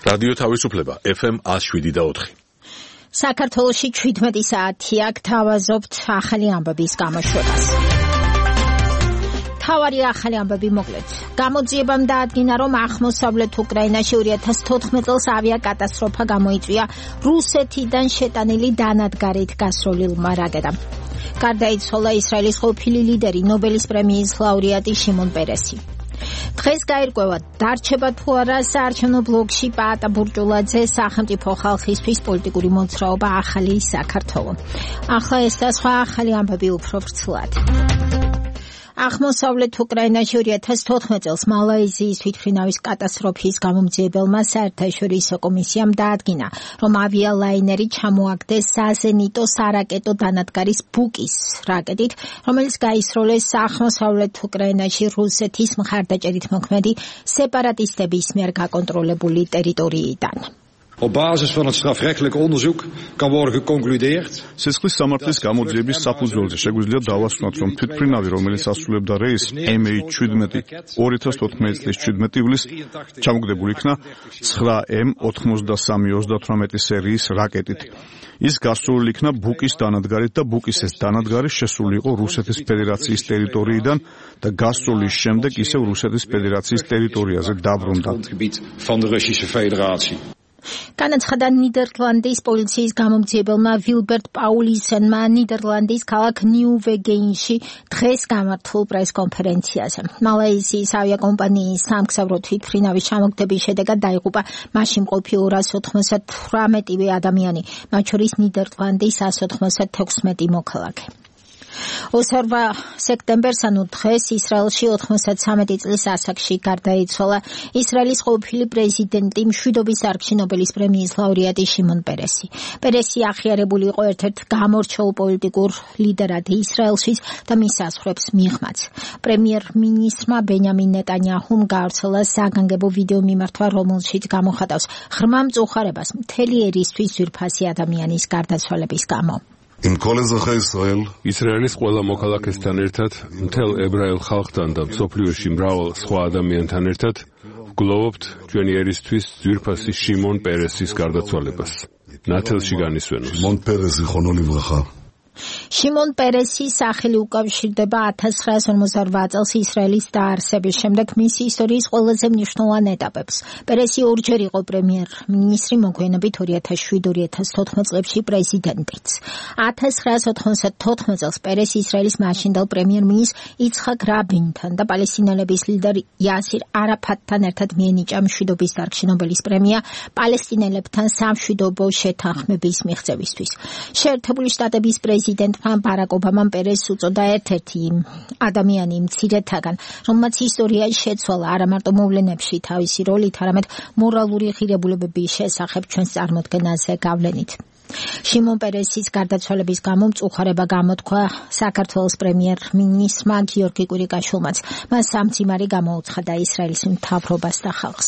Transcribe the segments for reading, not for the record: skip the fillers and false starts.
რადიო თავისუფლება FM 107.4. საქართველოში 17 საათია გთავაზობთ ახალი ამბების გამოშვებას. თავარი ახალი ამბები მოკლედ. გამოძიებამ დაადგინა, რომ აღმოსავლეთ უკრაინაში 2014 წელს ავიაკატასტროფა გამოიწვია რუსეთიდან შეტანილი დანადგარით გასროლილმა რაკეტამ. გარდაიცვალა ისრაელის ყოფილი ლიდერი, ნობელის პრემიის ლაურეატი შიმონ პერესი. დღეს გაირკვევა, დარჩება თუ არა საარჩევნო ბლოკში პაატა ბურჭულაძე სახელმწიფო ხალხისთვის პოლიტიკური მოძრაობა ახალი საქართველო. ახლა ეს და სხვა ახალი ამბები უფრო ვრცლად. აღმოსავლეთ უკრაინაში 2014 წელს მალაიზიის თვითმფრინავის კატასტროფის გამომძიებელმა საერთაშორისო კომისიამ დაადგინა, რომ ავიალაინერი ჩამოაგდეს საზენიტო სარაკეტო დანადგარის ბუკის რაკეტით, რომელიც გაისროლეს აღმოსავლეთ უკრაინაში რუსეთის მხარდაჭერით მოქმედი სეპარატისტების მიერ გაკონტროლებული ტერიტორიიდან. Op basis van het strafrechtelijk onderzoek kan worden geconcludeerd. Სისხლის სამართლის გამოძიების საფუძველზე შეგვიძლია დავასვანოთ, რომ თვითმფრინავი, რომელიც ასრულებდა რეისს MH17 2014 წლის 17 ივლისს ჩამოგდებულ იქნა 9M93-38 სერიის რაკეტით. ის გასროლილი იქნა ბუკის დანადგარით და ბუკის ეს დანადგარი შესული იყო რუსეთის ფედერაციის ტერიტორიიდან და გასროლის შემდეგ ისევ რუსეთის ფედერაციის ტერიტორიაზე დაბრუნდა. განაცხადა ნიდერლანდის პოლიციის გამომძიებელმა ვილბერტ პაულისენმა ნიდერლანდის ქალაქ ნიუ-ვეგენში დღეს გამართულ პრესკონფერენციაზე. მალაიზიის ავიაკომპანიის სამგზავრო თვითმფრინავის ჩამოგდების შედეგად დაიღუპა მასში მყოფი 298 ადამიანი, მათ შორის ნიდერლანდის 196 მოქალაქე. 28 სექტემბერს, ანუ დღეს, ისრაელში 93 წლის ასაკში გარდაიცვალა ისრაელის ყოფილი პრეზიდენტი, მშვიდობის დარგში ნობელის პრემიის ლაურეატი შიმონ პერესი. პერესი აღიარებული იყო ერთ-ერთ გამორჩეულ პოლიტიკურ ლიდერად ისრაელშიც და მის საზღვრებს მიღმაც. პრემიერ-მინისტრმა ბენიამინ ნეტანიაჰუმ გაავრცელა საგანგებო ვიდეო მიმართვა, რომელშიც გამოხატავს ღრმა მწუხარებას მთელი ერისთვის ძვირფასი ადამიანის გარდაცვალების გამო. ისრაელის ყველა მოქალაქესთან ერთად, მთელ ებრაელ ხალხთან და მსოფლიოში მრავალ სხვა ადამიანთან ერთად ვგლოვობთ ჩვენი ერისთვის ძვირფასი შიმონ პერესის გარდაცვალებას. ნათელში განისვენოს. შიმონ პერესის სახელი უკავშირდება 1948 წელს ისრაელის დაარსების შემდეგ მისი ისტორიის ყველაზე მნიშვნელოვან ეტაპებს. პერესი ორჯერ იყო პრემიერ-მინისტრი, მოგვიანებით 2007-2014 წლებში პრეზიდენტიც. 1994 წელს პერესი ისრაელის მაშინდელ პრემიერ-მინისტრ იცხაკ რაბინთან და პალესტინელების ლიდერ იასირ არაფატთან ერთად მიენიჭა მშვიდობის დარგში ნობელის პრემია პალესტინელებთან სამშვიდობო შეთანხმების მიღწევისთვის. შეერთებული შტატების პრეზიდენტმა ბარაკ ობამამ პერესს უწოდა ერთ-ერთი ადამიანი მცირეთაგან, რომელმაც ისტორიაში შეცვალა არა მარტო მოვლენებში თავისი როლით, არამედ მორალური ღირებულებების შესახებ ჩვენს წარმოდგენაზე გავლენით. შიმონ პერესის გარდაცვალების გამო მწუხარება გამოთქვა საქართველოს პრემიერ-მინისტრმა გიორგი კვირიკაშვილმაც. მას სამძიმარი გამოუცხადა ისრაელის მთავრობას და ხალხს.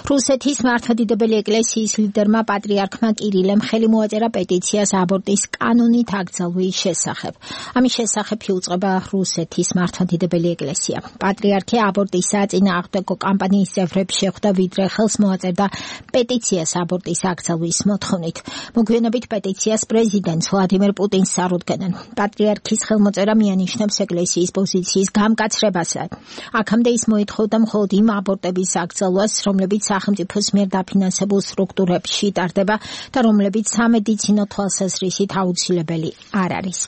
რუსეთის მართლმადიდებელი ეკლესიის ლიდერმა პატრიარქმა კირილემ ხელი მოაწერა პეტიციას აბორტის კანონით აკრძალვის შესახებ. ამის შესახებ იუწყება რუსეთის მართლმადიდებელი ეკლესია. პატრიარქი აბორტის საწინააღმდეგო კამპანიის წევრებს შეხვდა, ვიდრე ხელს მოაწერდა პეტიციას აბორტის აკრძალვის მოთხოვნით. მოგვიანებით პეტიციას პრეზიდენტ ვლადიმერ პუტინს წარუდგენენ. პატრიარქის ხელმოწერა მიანიშნებს ეკლესიის პოზიციის გამკაცრებასა. აქამდე ის მოითხოვდა მხოლოდ იმ აბორტების აკრძალვას, რომლებიც სახელმწიფოს მიერ დაფინანსებულ სტრუქტურებში ტარდება და რომლებიც სამედიცინო თვალსაზრისით აუცილებელი არ არის.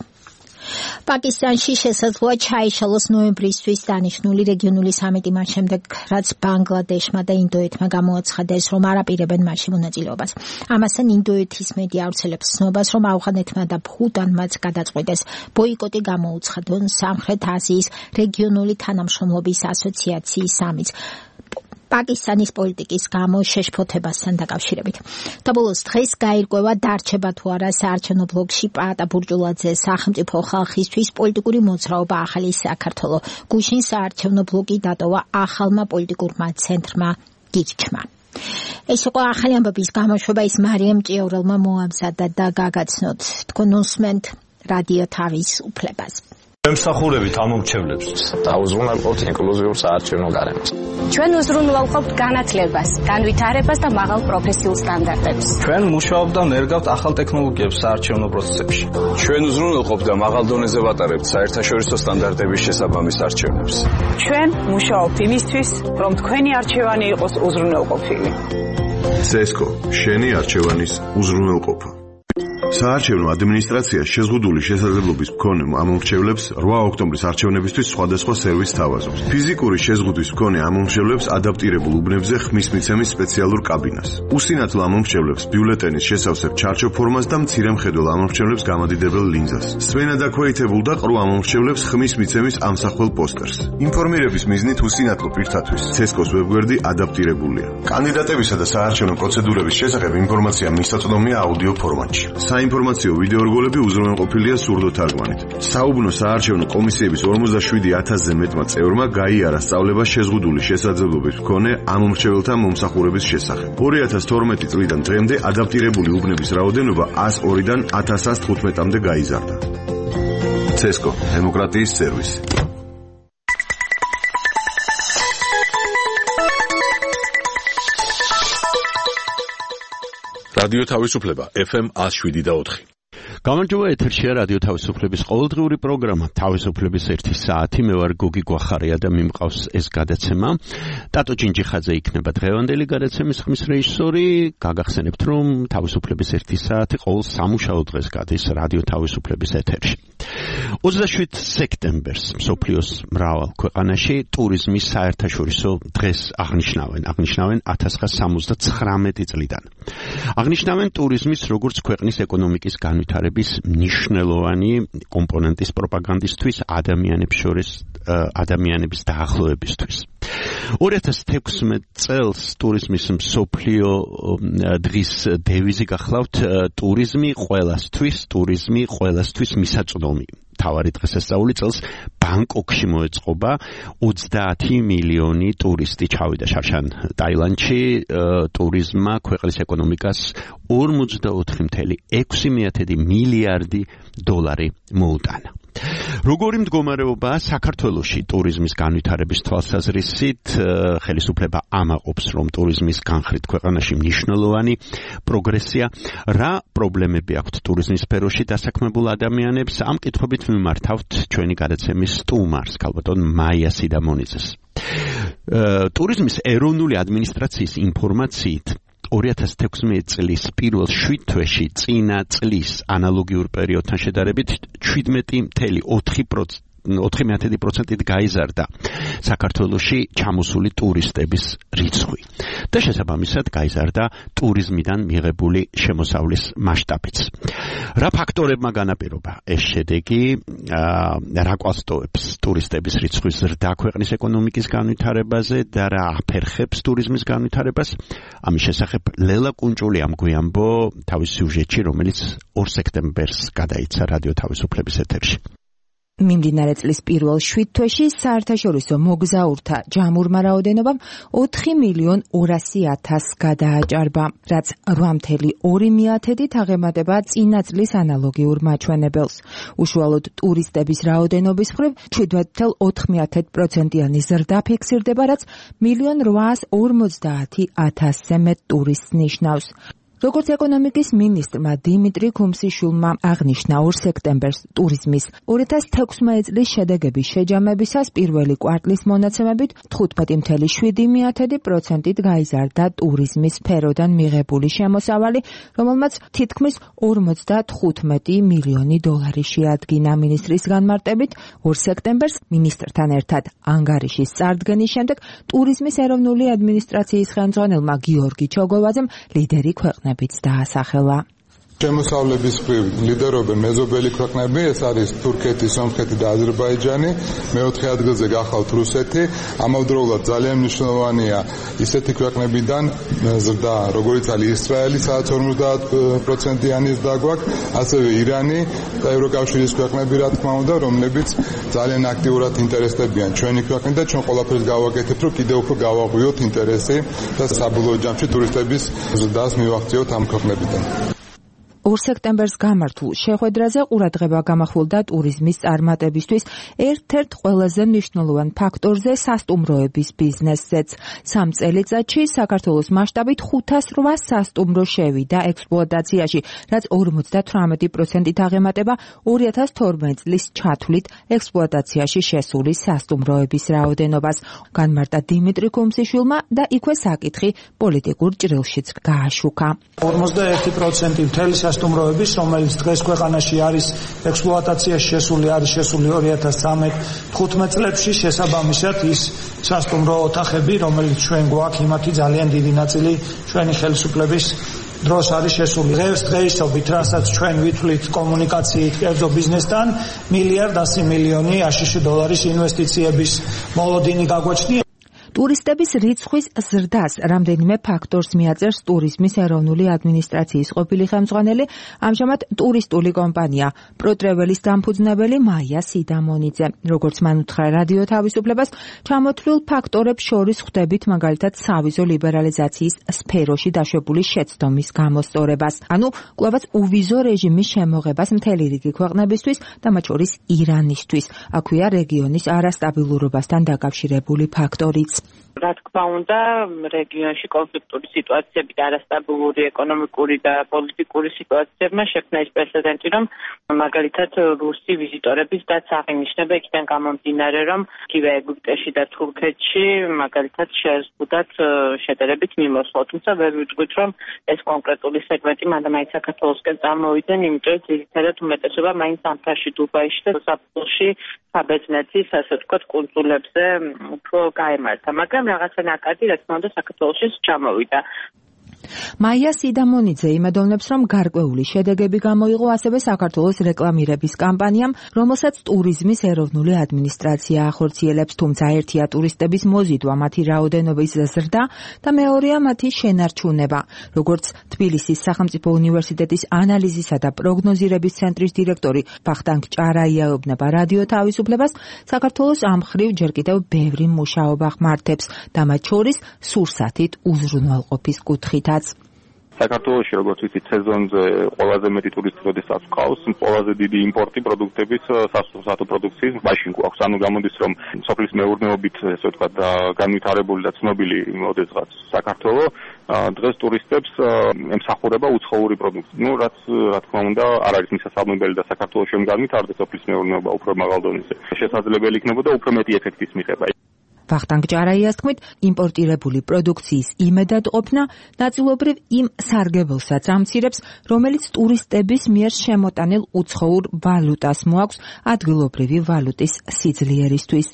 პაკისტანში შესაძლოა ჩაიშალოს ნოემბრისთვის დანიშნული რეგიონული სამიტი მას შემდეგ, რაც ბანგლადეშმა და ინდოეთმა გამოაცხადეს, რომ არ აპირებენ მასში მონაწილეობას. ამასთან ინდოეთის მედია ავრცელებს ცნობას, რომ ავღანეთმა და ბჰუტანმაც გადაწყვიტეს ბოიკოტი გამოუცხადონ სამხრეთ აზიის რეგიონული თანამშრომლობის ასოციაციის სამიტს პაკისტანის პოლიტიკის გამო შეშფოთებასთან დაკავშირებით. და ბოლოს დღეს გაირკვევა, დარჩება თუ არა საარჩევნო ბლოკში პაატა ბურჭულაძე სახელმწიფო ხალხისთვის პოლიტიკური მოძრაობა ახალი საქართველო. გუშინ საარჩევნო ბლოკი დატოვა ახალმა პოლიტიკურმა ცენტრმა გიჩქმა. ეს იყო ახალი ამბების გამოშვება, ის მარიამ ჭიაურელმა მოამზადა და გაგაცნოთ. თქვენ უსმენთ რადიო თავისუფლებას. ემსახურებით ამომრჩევლებს და უზრუნველყოფთ ინკლუზიურ საარჩევნო გარემოს. ჩვენ უზრუნველყოფთ განათლებას, განვითარებას და მაღალ პროფესიულ სტანდარტებს. ჩვენ მუშაობთ და ნერგავთ ახალ ტექნოლოგიებს საარჩევნო პროცესებში. ჩვენ უზრუნველყოფთ და მაღალ დონეზე ვატარებთ საერთაშორისო სტანდარტების შესაბამის არჩევნებს. ჩვენ მუშაობთ იმისთვის, რომ თქვენი არჩევანი იყოს უზრუნველყოფილი. CESCO, შენი არჩევანის უზრუნველყოფა. საარჩევნო ადმინისტრაცია შეზღუდული შესაძლებლობის მქონე ამომრჩევლებს 8 ოქტომბრის არჩევნებისთვის სხვადასხვა სერვისს თავაზობს. ფიზიკური შეზღუდვის მქონე ამომრჩევლებს ადაპტირებულ უბნებზე ხმის მიცემის სპეციალურ კაბინას. უსინათლო ამომრჩევლებს ბიულეტენის შესავსებ ჩარჩო ფორმას და მცირე მხედველ ამომრჩევლებს გამადიდებელ ლინზას. სვენად აქვეითებულ და ყრუ ამომრჩევლებს ხმის მიცემის ამსახველ პოსტერს. ინფორმირების მიზნით უსინათლო პირთათვის CESCO-s ვებგვერდი ადაპტირებულია. კანდიდატებისა და საარჩევნო პროცედურების შესახებ ინფორმაცია მისაწვდომია აუდიო ფორმატში. საინფორმაციო ვიდეო რგოლები უზრუნველყოფილია სურდო თარგმანით. საუბნო საარჩევნო კომისიების 47,000-ზე მეტმა წევრმა გაიარა სწავლება შეზღუდული შესაძლებლობის მქონე ამომრჩეველთა მომსახურების შესახებ. 2012 წლიდან დღემდე ადაპტირებული უბნების რაოდენობა 102-დან 1115-მდე გაიზარდა. CESCO, დემოკრატიის სერვისი. რადიო თავისუფლება FM 107.4. გამარჯობა, ეთერშია რადიო თავისუფლების ყოველდღიური პროგრამა თავისუფლების 1 საათი. მე ვარ გოგი გვახარია და მიმყავს ეს გადაცემა. ტატო ჭინჭიხაძე იქნება დღევანდელი გადაცემის ხმის რეჟისორი. გაგახსენებთ, რომ თავისუფლების 1 საათი ყოველ სამუშაო დღეს გადის რადიო თავისუფლების ეთერში. 27 სექტემბერს მსოფლიოს მრავალ ქვეყანაში ტურიზმის საერთაშორისო დღეს აღნიშნავენ 1979 წლიდან. აღნიშნავენ ტურიზმის როგორც ქვეყნის ეკონომიკის განვითარების მნიშვნელოვანი კომპონენტის პროპაგანდისთვის, ადამიანების დაახლოებისთვის. 2016 წელს ტურიზმის მსოფლიო დღის დევიზი გახლავთ ტურიზმი ყველასთვის მისაწვდომი. თავარი დღესასწაული წელს ბანგკოკში მოეწყობა 30 მილიონი ტურისტი ჩავიდა შარშან ტაილანდში. ტურიზმმა ქვეყნის ეკონომიკას 44.6 მილიარდი დოლარი მოუტანა. როგორი მდგომარეობაა საქართველოში ტურიზმის განვითარების თვალსაზრისით? ხელისუფლება ამაყობს, რომ ტურიზმის განხრით ქვეყანაში მნიშვნელოვანი პროგრესია. რა პრობლემები აქვთ ტურიზმის სფეროში დასაქმებულ ადამიანებს? ამ კითხვებით მიმართავთ ჩვენი გადაცემის სტუმარს, ქალბატონ მაია სიდამონიძეს. ტურიზმის ეროვნული ადმინისტრაციის ინფორმაციით 2016 წლის პირველ 7 თვეში წინა წლის ანალოგიურ პერიოდთან შედარებით 17.4%-ით გაიზარდა საქართველოში ჩამოსული ტურისტების რიცხვი და შესაბამისად გაიზარდა ტურიზმიდან მიღებული შემოსავლის მასშტაბიც. რა ფაქტორებმა განაპირობა ეს შედეგი? რა კვალსტოებს ტურისტების რიცხვის ზრდა ქვეყნის ეკონომიკის განვითარებაზე და რა აფერხებს ტურიზმის განვითარებას? ამის შესახებ ლელა კუნჭული ამგვიამბო თავის სიუჟეტში, რომელიც 2 სექტემბერს გადაიცა რადიო თავისუფლების ეთერში. მიმდინარე წლის პირველ 7 თვეში საერთაშორისო მოგზაურთა ჯამურმა რაოდენობამ 4.200.000 გადააჭარბა, რაც 8.2%-ით აღემატება წინა წლის ანალოგიურ მაჩვენებელს. უშუალოდ ტურისტების რაოდენობის მხრივ 7.4%-იანი ზრდა ფიქსირდება, რაც 1.850.000-ზე მეტ ტურისტს ნიშნავს. როგორც ეკონომიკის მინისტრმა დიმიტრი ქუმსიშვილმა აღნიშნა 2 სექტემბერს ტურიზმის 2016 წლის შედეგების შეჯამებისას პირველი კვარტლის მონაცემებით 15.7%-ით გაიზარდა ტურიზმის სფეროდან მიღებული შემოსავალი, რომელმაც თითქმის 55 მილიონი დოლარი შეადგინა. მინისტრის განმარტებით 2 სექტემბერს მინისტრთან ერთად ანგარიშის წარდგენის შემდეგ ტურიზმის ეროვნული ადმინისტრაციის ხელმძღვანელმა გიორგი ჩოგოვაძემ ლიდერი ქვეყნებიც დაასახელა. შემოსავლების მხრივ ლიდერობენ მეზობელი ქვეყნები, ეს არის თურქეთი, სომხეთი და აზერბაიჯანი. მეოთხე ადგილზე გახლავთ რუსეთი. ამავდროულად ძალიან მნიშვნელოვანია ისეთი ქვეყნებიდან ზრდა, როგორიც არის ისრაელი, სადაც 50%-იანი ზრდა გვაქვს, ასევე ირანი და ევროკავშირის ქვეყნები, რა თქმა უნდა, რომლებიც ძალიან აქტიურად ინტერესდებიან ჩვენი ქვეყნით და ჩვენ ყველაფერს გავაკეთებთ, რომ კიდევ უფრო გავაღვიოთ ინტერესი და საბოლოო ჯამში ტურისტების ზრდას მივახციოთ ამ ქვეყნებიდან. 2 სექტემბერს გამართულ შეხვედრაზე ყურადღება გამახვილდა ტურიზმის წარმატებისთვის ერთ-ერთ ყველაზე მნიშვნელოვან ფაქტორზე სასტუმროების ბიზნესზეც. 3 წელიწადში საქართველოს მასშტაბით 508 სასტუმრო შევიდა ექსპლუატაციაში, რაც 58%-ით აღემატება 2012 წლის ჩათვლით ექსპლუატაციაში შესული სასტუმროების რაოდენობას. განმარტა დიმიტრი კუმსიშვილმა და იქვე საკითხი პოლიტიკურ ჭრილშიც გააშუქა. 51% მთელი სასტუმროების, რომელიც დღეს ქვეყანაში არის ექსპლუატაციაში შესული, არის შესული 2013-15 წლებში, შესაბამისად ის სასტუმრო ოთახები, რომელიც ჩვენ გვაქვს, იმათი ძალიან დიდი ნაწილი ჩვენი ხელისუფლების დროს არის შესული. დღეისობით, რასაც ჩვენ ვითვლით კომუნიკაციით კერძო ბიზნესთან, $1.100 აშშ ინვესტიციების მოლოდინი გაგვაჩნია. ტურისტების რიცხვის ზრდას რამდენიმე ფაქტორს მიაწერს ტურიზმის ეროვნული ადმინისტრაციის ყოფილი ხელმძღვანელი, ამჟამად ტურისტული კომპანია პროტრეველის დამფუძნებელი მაია სიდამონიძე. როგორც მან უთხრა რადიო თავისუფლებას, ჩამოთვლილ ფაქტორებს შორის ხვდებით მაგალითად სავიზო ლიბერალიზაციის სფეროში დაშვებული შეცდომის გამოსწორებას, ანუ კვლავაც უვიზო რეჟიმის შემოღებას მთელი რიგი ქვეყნებისთვის და მათ შორის ირანისთვის. აქვეა რეგიონის არასტაბილურობასთან დაკავშირებული ფაქტორიც. რა თქმა უნდა, რეგიონში კონფლიქტური სიტუაციები და არასტაბილური ეკონომიკური და პოლიტიკური სიტუაციებმა შექმნა ის პრეცედენტი, რომ მაგალითად რუსი ვიზიტორების დაც აღინიშნება იქიდან გამომდინარე, რომ იგივე ეგვიპტეში და თურქეთში მაგალითად შეზღუდათ შედარებით მიმოსვლა. თუმცა ვერ ვიტყვით, რომ ეს კონკრეტული სეგმენტი მანდ-მაინც საქართველოსკენ წამოვიდნენ, იმიტომ ძირითადად უმეტესობა მაინც ანტაში, დუბაიში და საფრთხეში საბერძნეთის, ასე ვთქვათ, კუნძულებზე უფრო გაემართა. მაგრამ რაღაცა ნაკადი, რა თქმა უნდა, საქართველოში ჩამოვიდა. მაია სიდამონიძე იმედოვნებს, რომ გარკვეული შედეგები გამოიღო ასევე საქართველოს რეკლამირების კამპანიამ, რომელსაც ტურიზმის ეროვნული ადმინისტრაცია ახორციელებს, თუმცა ერთია ტურისტების მოზიდვა, მათი რაოდენობის ზრდა და მეორეა მათი შენარჩუნება. როგორც თბილისის სახელმწიფო უნივერსიტეტის ანალიზისა და პროგნოზირების ცენტრის დირექტორი ვახტანგ ჭარაია ეუბნება რადიო თავისუფლებას, საქართველოს ამ მხრივ ჯერ კიდევ ბევრი მუშაობა ხმართებს და მათ შორის სურსათით უზრუნველყოფის კუთხით. საქართველოში, როგორც ვიცით, სეზონზე ყველაზე მეტი ტურისტი როდესაც ყავს, ყველაზე დიდი იმპორტი პროდუქტების, სასურსათო პროდუქციის მაშინ გვაქვს. ანუ გამოდის, რომ სოფლის მეურნეობით, ესე ვთქვათ, განვითარებული და ცნობილი მოდესღაც საქართველოს დღეს ტურისტებს ემსახურება უცხოური პროდუქტი. რაც რა თქმა უნდა, არ არის მისასალმებელი და საქართველოში რომ განვითარდეს სოფლის მეურნეობა უფრო მაღალ დონეზე. შესაძლებელი იქნებოდა უფრო მეტი ეფექტის მიღება. ვახტანგ ჭარაიას თქმით, იმპორტირებული პროდუქციის იმედადყოფნა ნაწილობრივ იმ სარგებელსაც ამცირებს, რომელიც ტურისტების მიერ შემოტანილ უცხოურ ვალუტას მოაქვს ადგილობრივი ვალუტის სიძლიერისთვის,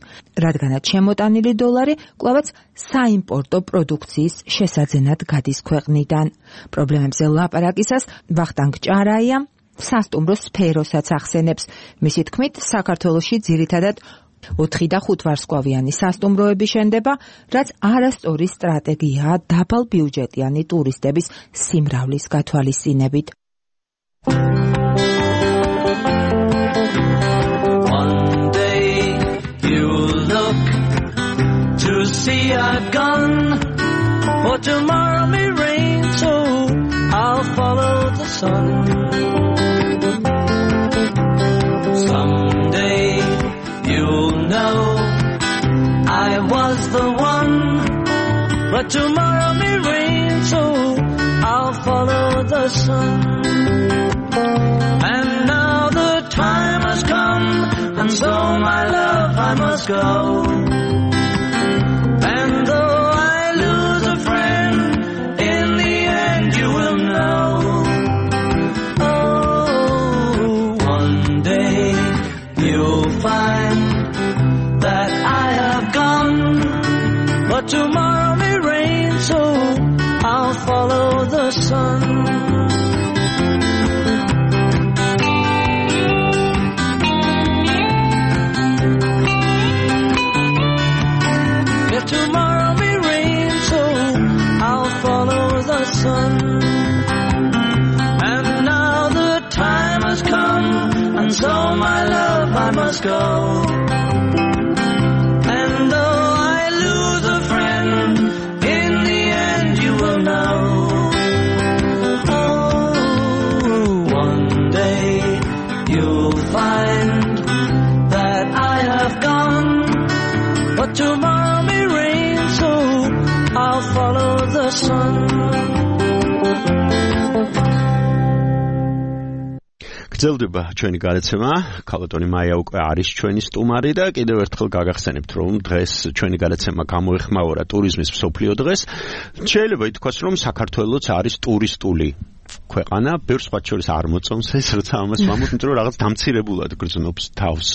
რადგანაც შემოტანილი დოლარი კვლავაც საიმპორტო პროდუქციის შესაძენად გადის ქვეყნიდან. პრობლემებზე ლაპარაკისას ვახტანგ ჭარაია სასტუმრო სფეროსაც ახსენებს. მისი თქმით, საქართველოში ძირითადად 4 და 5 ვარსკვლავიანი სასტუმროები შენდება, რაც არასწორი სტრატეგიაა დაბალ ბიუჯეტიანი ტურისტების სიმრავლის გათვალისწინებით. One day you look to see I've gone, for tomorrow may rain, so I'll follow the sun. Someday you'll know I was the one, but tomorrow may rain, so I'll follow the sun. And now the time has come, and so my love I must go. And though I lose a friend, in the end you will know. Oh, one day you'll find that I have gone, but tomorrow may rain, so I'll follow the sun. If tomorrow may rain, so I'll follow the sun. And now the time has come, and so my love I must go. And though I lose a friend, in the end you will know. Oh, sun. გრძელდება ჩვენი გადაცემა. ქალბატონი მაია უკვე არის ჩვენი სტუმარი და კიდევ ერთხელ გაგახსენებთ, რომ დღეს ჩვენი გადაცემა გამოეხმაურა ტურიზმის მსოფლიო დღეს. შეიძლება ითქვას, რომ საქართველოც არის ტურისტული ქვეყანა, ბევრ სხვა შორის არ მოწონს ეს, როცა ამას ვამბობ, იმიტომ რომ რაღაც დამცირებულად გრძნობს თავს.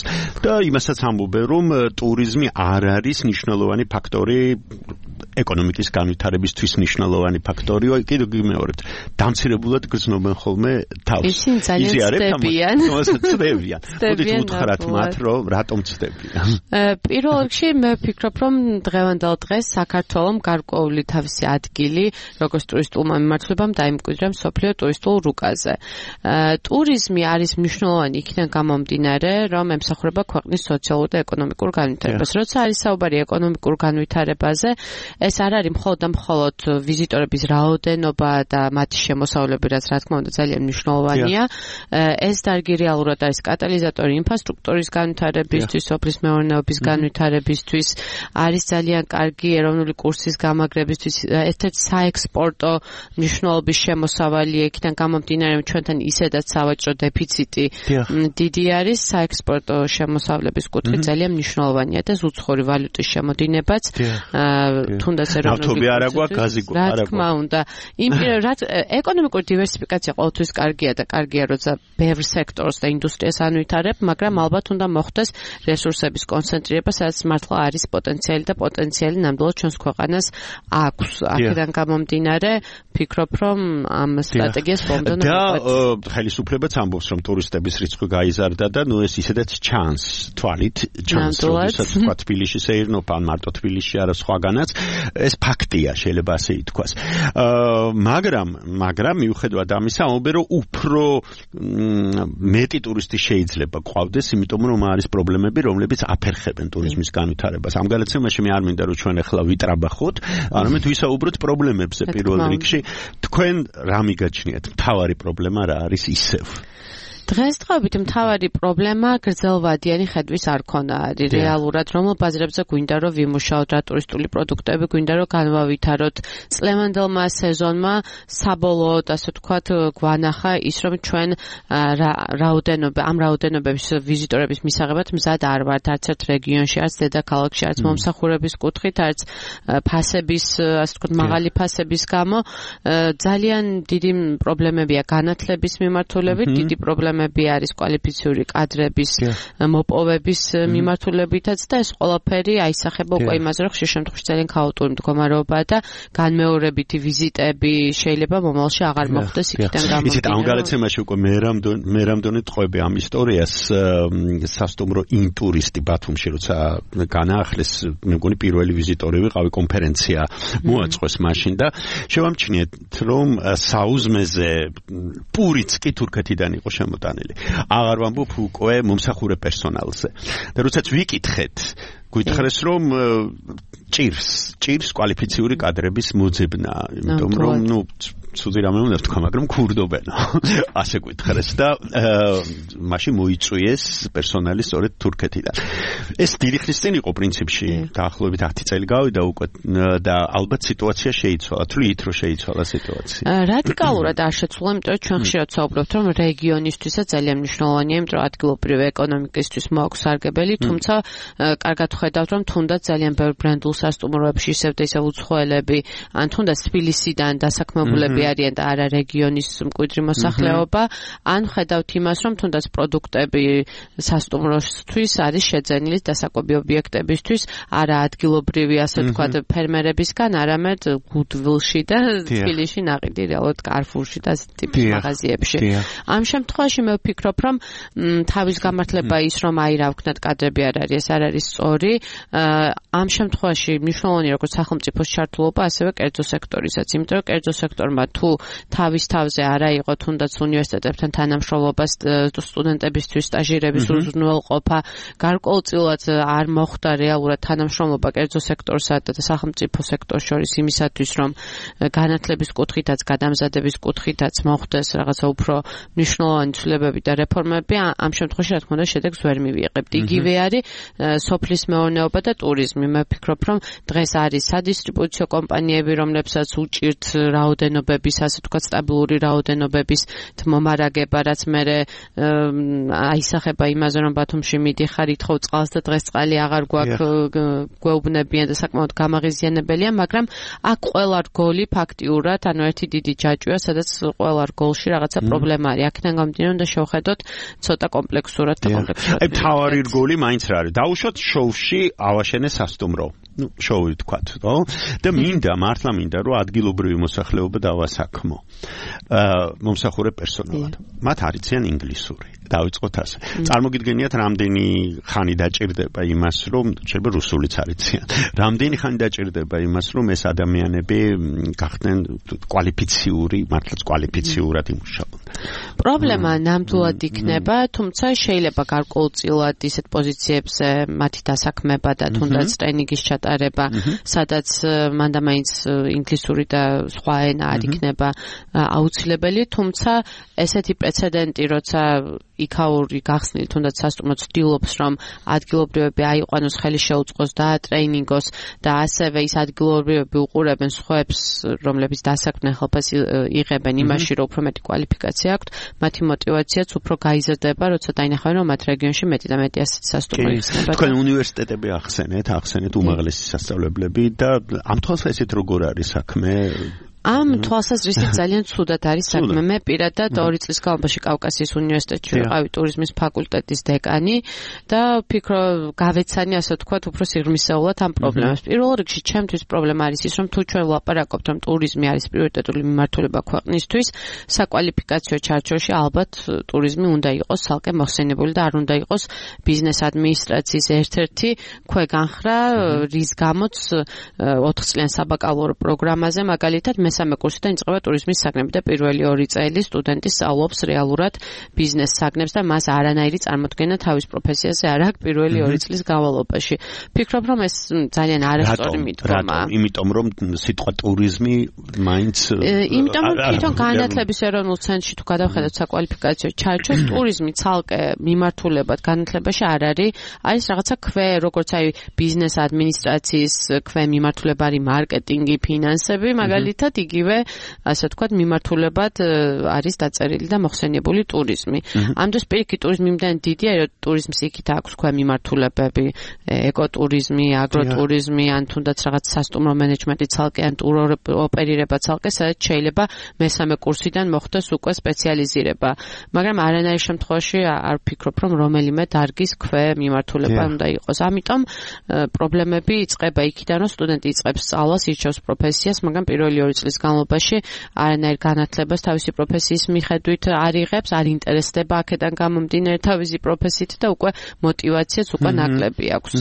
და იმასაც ამბობენ, რომ ტურიზმი არ არის მნიშვნელოვანი ფაქტორი ეკონომიკის განვითარებისთვის მნიშვნელოვანი ფაქტორია, კიდევ გიმეორებთ, დამცირებულად გრძნობენ ხოლმე თავს. ისინი ძალიან ცდებიან. მოდით უთხრათ მათ, რომ რატომ ცდებიან. პირველ რიგში მე ვფიქრობ, რომ დღევანდელ დღეს საქართველოს გარკვეული თავისი ადგილი, როგორც ტურისტულმა მიმართულებამ დაიმკვიდრა მსოფლიო ტურისტულ რუკაზე. ტურიზმი არის მნიშვნელოვანი იქიდან გამომდინარე, რომ ემსახურება ქვეყნის სოციალურ და ეკონომიკურ განვითარებას. როცა არის საუბარი ეკონომიკურ განვითარებაზე, ეს არ არის მხოლოდ და მხოლოდ ვიზიტორების რაოდენობა და მათი შემოსავლები, რაც რა თქმა უნდა ძალიან მნიშვნელოვანია. ეს დარგი რეალურად არის კატალიზატორი ინფრასტრუქტურის განვითარებისთვის, სოფლის მეურნეობის განვითარებისთვის, არის ძალიან კარგი ეროვნული კურსის გამაგრებისთვის, ერთ-ერთი საექსპორტო მნიშვნელობის შემოსავალი იქიდან გამომდინარე, რომ ჩვენთან ისედაც სავაჭრო დეფიციტი დიდი არის, საექსპორტო შემოსავლების კუთხით ძალიან მნიშვნელოვანია და უცხოური ვალუტის შემოდინებაც თუნდაც ნავთობი არ აქვს, გაზი არ აქვს. რა თქმა უნდა, ეკონომიკური დივერსიფიკაცია ყოველთვის კარგია და კარგია, როცა ბევრ სექტორს და ინდუსტრიას ანვითარებ, მაგრამ ალბათ უნდა მოხდეს რესურსების კონცენტრირება, სადაც მართლა არის პოტენციალი და პოტენციალი ნამდვილად ჩვენს ქვეყანას აქვს. აქედან გამომდინარე, ფიქრობ, რომ ამ სტრატეგიას ბოლომდე და ხელისუფლებაც ამბობს, რომ ტურისტების რიცხვი გაიზარდა და ნუ ეს ისედაც ჩანს, თვალით ჩანს, როდესაც თქვა თბილისში სეირნოფ ან მარტო თბილისში არა სხვაგანაც, ეს ფაქტია, შეიძლება ასე ითქვას. მაგრამ მიუხედავად ამისა, ამბობენ, რომ უფრო მეტი ტურისტი შეიძლება ყავდეს, იმიტომ რომ არის პრობლემები, რომლებიც აფერხებენ ტურიზმის განვითარებას. ამ გადაცემაში მე არ მინდა რომ ჩვენ ახლა ვიტრაბახოთ, არამედ ვისაუბროთ პრობლემებზე პირველ რიგში. თქვენ რა მიგაჩნიათ? მთავარი პრობლემა რა არის ისევ? დღესდღეობით მთავარი პრობლემა გრძელვადიანი ხედვის არ ქონა არის. რეალურად რომელ ბაზრებზე გვინდა რომ ვიმუშაოთ რა ტურისტული პროდუქტები გვინდა რომ განვავითაროთ. წლევანდელმა სეზონმა საბოლოოდ ასე ვთქვათ გვანახა ის რომ ჩვენ ამ რაოდენობების ვიზიტორების მისაღებად მზად არ ვართ არც ერთ რეგიონში, არც დედაქალაქში, არც მომსახურების კუთხით, არც ფასების ასე ვთქვათ მაღალი ფასების გამო ძალიან დიდი პრობლემებია განათლების მიმართულებით, დიდი პრობლემა არის კვალიფიციური კადრების მოპოვების მიმართულებითაც და ეს ყველაფერი აისახება უკვე იმაზე, რომ ხშირ შემთხვევაში ძალიან ქაოტური მდგომარეობაა და განმეორებითი ვიზიტები შეიძლება მომავალში აღარ მოხდეს იქიდან გამომდინარე. იცით, ამ გადაცემაში უკვე მე რამდონე ტყვები ამ ისტორიას სასტუმრო ინტურისტი ბათუმში, როცა განაახლეს, მე მგონი პირველი ვიზიტორი ვიყავი, კონფერენცია მოაწყვეს მაშინ და შევამჩნიეთ, რომ საუზმეზე პურიც კი თურქეთიდან იყო შემოტანილი. აღარ ვამბობ უკვე მომსახურე პერსონალზე. და როდესაც ვიკითხეთ, გითხრეს რომ ჭირს კვალიფიციური კადრების მოძებნა, იმიტომ რომ ნუ ცუდი რამე უნდა ვთქვა, მაგრამ ქურდობენ. ასე გითხრეს და მაშინ მოიწვიეს პერსონალი სწორედ თურქეთიდან. ეს დიდი ხნის წინ იყო პრინციპში, დაახლოებით 10 წელი გავიდა უკვე და ალბათ სიტუაცია შეიცვალა. თვლით რომ შეიცვალა სიტუაცია. რადიკალურად არ შეცვალა, იმიტომ რომ ჩვენ ხშირად საუბრობთ, რომ რეგიონისთვისაც ძალიან მნიშვნელოვანია, იმიტომ რომ ადგილობრივი ეკონომიკისთვის მოაქვს სარგებელი, თუმცა კარგად ხედავთ, რომ თუნდაც ძალიან ბევრ ბრენდულ სასტუმროებში ისევ და ისევ უცხოელები, ან თუნდაც თბილისიდან დასაქმებულები არიან და არა რეგიონის მკვიდრი მოსახლეობა, ან ხედავთ იმას, რომ თუნდაც პროდუქტები სასტუმროსთვის არის შეძენილი დასაკვები ობიექტებისთვის, არა ადგილობრივი, ასე ვთქვათ, ფერმერებისგან, არამედ გუდვილში და თბილისში ნაყიდი, რეალურად კარფურში და ტიპის მაღაზიებში. ამ შემთხვევაში მე ვფიქრობ, რომ თავის გამართლება ის, რომ აი რა ვქნათ კადრები არ არის, ეს არ არის სწორი. ამ შემთხვევაში მნიშვნელოვანია როგორც სახელმწიფოს ჩართულობა, ასევე კერძო სექტორისაც, იმიტომ რომ კერძო სექტორმა თუ თავის თავზე არა იყო თუნდაც უნივერსიტეტებთან თანამშრომლობას სტუდენტებისთვის სტაჟირების უზრუნველყოფა, გარკვეულწილად არ მოხდა რეალურად თანამშრომლობა კერძო სექტორსა და სახელმწიფო სექტორს შორის იმისათვის, რომ განათლების კუთხითაც, გადამზადების კუთხითაც მოხდეს რაღაცა უფრო მნიშვნელოვანი ცვლილებები და რეფორმები, ამ შემთხვევაში რა თქმა უნდა შედეგს ვერ მივიღებთ. იგივე არის სოფლის მეურნეობა და ტურიზმი. მე ვფიქრობ, რომ დღეს არის სადისტრიბუციო კომპანიები, რომლებსაც უჭირთ რაოდენობების, ასე ვთქვათ, სტაბილური რაოდენობების მომარაგება, რაც მერე აისახება იმაზე, რომ ბათუმში მიდიხარ, ითხოვ წყალს და დღეს წყალი აღარ გვეუბნებიან და საკმაოდ გამაღიზიანებელია, მაგრამ აქ ყველა რგოლი ფაქტიურად, ანუ ერთი დიდი ჯაჭვია, სადაც ყველა რგოლში რაღაცა პრობლემა არის. აქედან გამომდინარე, უნდა შევხედოთ ცოტა კომპლექსურად და კომპლექსურად. აი, თავარი რგოლი მაინც რა არის? დაუშვათ შოუში ავაშენე სასტუმრო. შოუი თქვათ, ხო? და მართლა მინდა, რომ ადგილობრივი მოსახლეობა დავასაქმო. მომსახურე პერსონალად. მათ არიციან ინგლისური. დავიწყოთ ასე. წარმოგიდგენიათ, რამდენი ხანი დაჭირდება იმას, რომ შეიძლება რუსულიც არიციან. რამდენი ხანი დაჭირდება იმას, რომ ეს ადამიანები გახდნენ კვალიფიციური, მართლაც კვალიფიციურად იმუშაობენ. პრობლემა ნამდვილად იქნება, თუმცა შეიძლება გარკვეულწილად ისეთ პოზიციებზე მათი დასაქმება და თუნდაც ტრენინგის ჩატარება, სადაც მანდამაინც ინგლისური და სხვა ენა არ იქნება აუცილებელი, თუმცა ესეთი პრეცედენტი, როცა იქაური გახსნილი თუნდაც სასტუმრო ცდილობს, რომ ადგილობრივები აიყვანოს, ხელი შეუწყოს და ტრეინინგოს და ასევე ის ადგილობრივები უყურებენ სხვებს, რომლებიც დასაქმნელ ხელფას იღებენ იმაში, რომ უფრო მეტი კვალიფიკაცია აქვთ, მათი мотиваციაც უფრო გაიზრდება, როცა დაინახავენ, რომ მათ რეგიონში მეტი და მეტი ასეთი სასტუმრო იქნება. თქვენ უნივერსიტეტები ახსენეთ უმაღლესი სასწავლებლები და ამ თვალსაზრისით როგორ არის საქმე? ამ თვალსაზრისით ძალიან ცუდად არის საქმე. მე პირადად 2 წლის განმავლობაში კავკასიის უნივერსიტეტში ვიყავი ტურიზმის ფაკულტეტის დეკანი და ვფიქრობ, გავეცანი ასე ვთქვათ, უფრო სიღრმისეულად ამ პრობლემას. პირველ რიგში ჩემთვის პრობლემა არის ის, რომ თუ ჩვენ ვლაპარაკობთ, რომ ტურიზმი არის პრიორიტეტული მიმართულება ქვეყნისთვის, საკვალიფიკაციო ჩარჩოში ალბათ ტურიზმი უნდა იყოს ცალკე მოხსენებული და არ უნდა იყოს ბიზნეს ადმინისტრაციის ერთ-ერთი ქვეგანხრა, რის გამოც 4 წლიან საბაკალავრო პროგრამაზე მაგალითად მესამე კურსიდან იწყება ტურიზმის საგნები და პირველი 2 წელი სტუდენტი სწავლობს რეალურად ბიზნეს საგნებს და მას არანაირი წარმოდგენა თავის პროფესიაზე არ აქვს პირველი 2 წლის განმავლობაში. ფიქრობ, რომ ეს ძალიან არასწორი მიდგომაა. იმიტომ რომ სიტყვა ტურიზმი მაინც იმიტომ რომ თვითონ განათლების ეროვნულ ცენტრში თუ გადავხედოთ საკვალიფიკაციო ჩარჩოს, ტურიზმი ცალკე მიმართულებად განათლებაში არ არის, არის რაღაცა როგორც აი ბიზნეს ადმინისტრაციის მიმართულება არის მარკეტინგი, ფინანსები, მაგალითად იგივე, ასე ვთქვათ, მიმართულებად არის დაწერილი და მოხსენიებული ტურიზმი. ამ დროს პირიქით ტურიზმი იმდენ დიდია, რომ ტურიზმს იქით აქვს მიმართულებები, ეკოტურიზმი, აგროტურიზმი, ან თუნდაც რაღაც სასტუმრო მენეჯმენტი ცალკე, ან ტუროპერირება ცალკე, სადაც შეიძლება მესამე კურსიდან მოხდეს უკვე სპეციალიზირება. მაგრამ არანაირ შემთხვევაში არ ვფიქრობ, რომ რომელიმე დარგის მიმართულება უნდა იყოს. ამიტომ პრობლემები იწყება იქიდან, რომ სტუდენტი იწყებს სწავლას, ირჩევს პროფესიას, მაგრამ პირველი 2 წლის განმავლობაში არანაირ განათლებას თავისი პროფესიის მიხედვით არ იღებს, არ ინტერესდება აქედან გამომდინარე თავისი პროფესიით და უკვე мотиваციაც უკვე ნაკლები აქვს.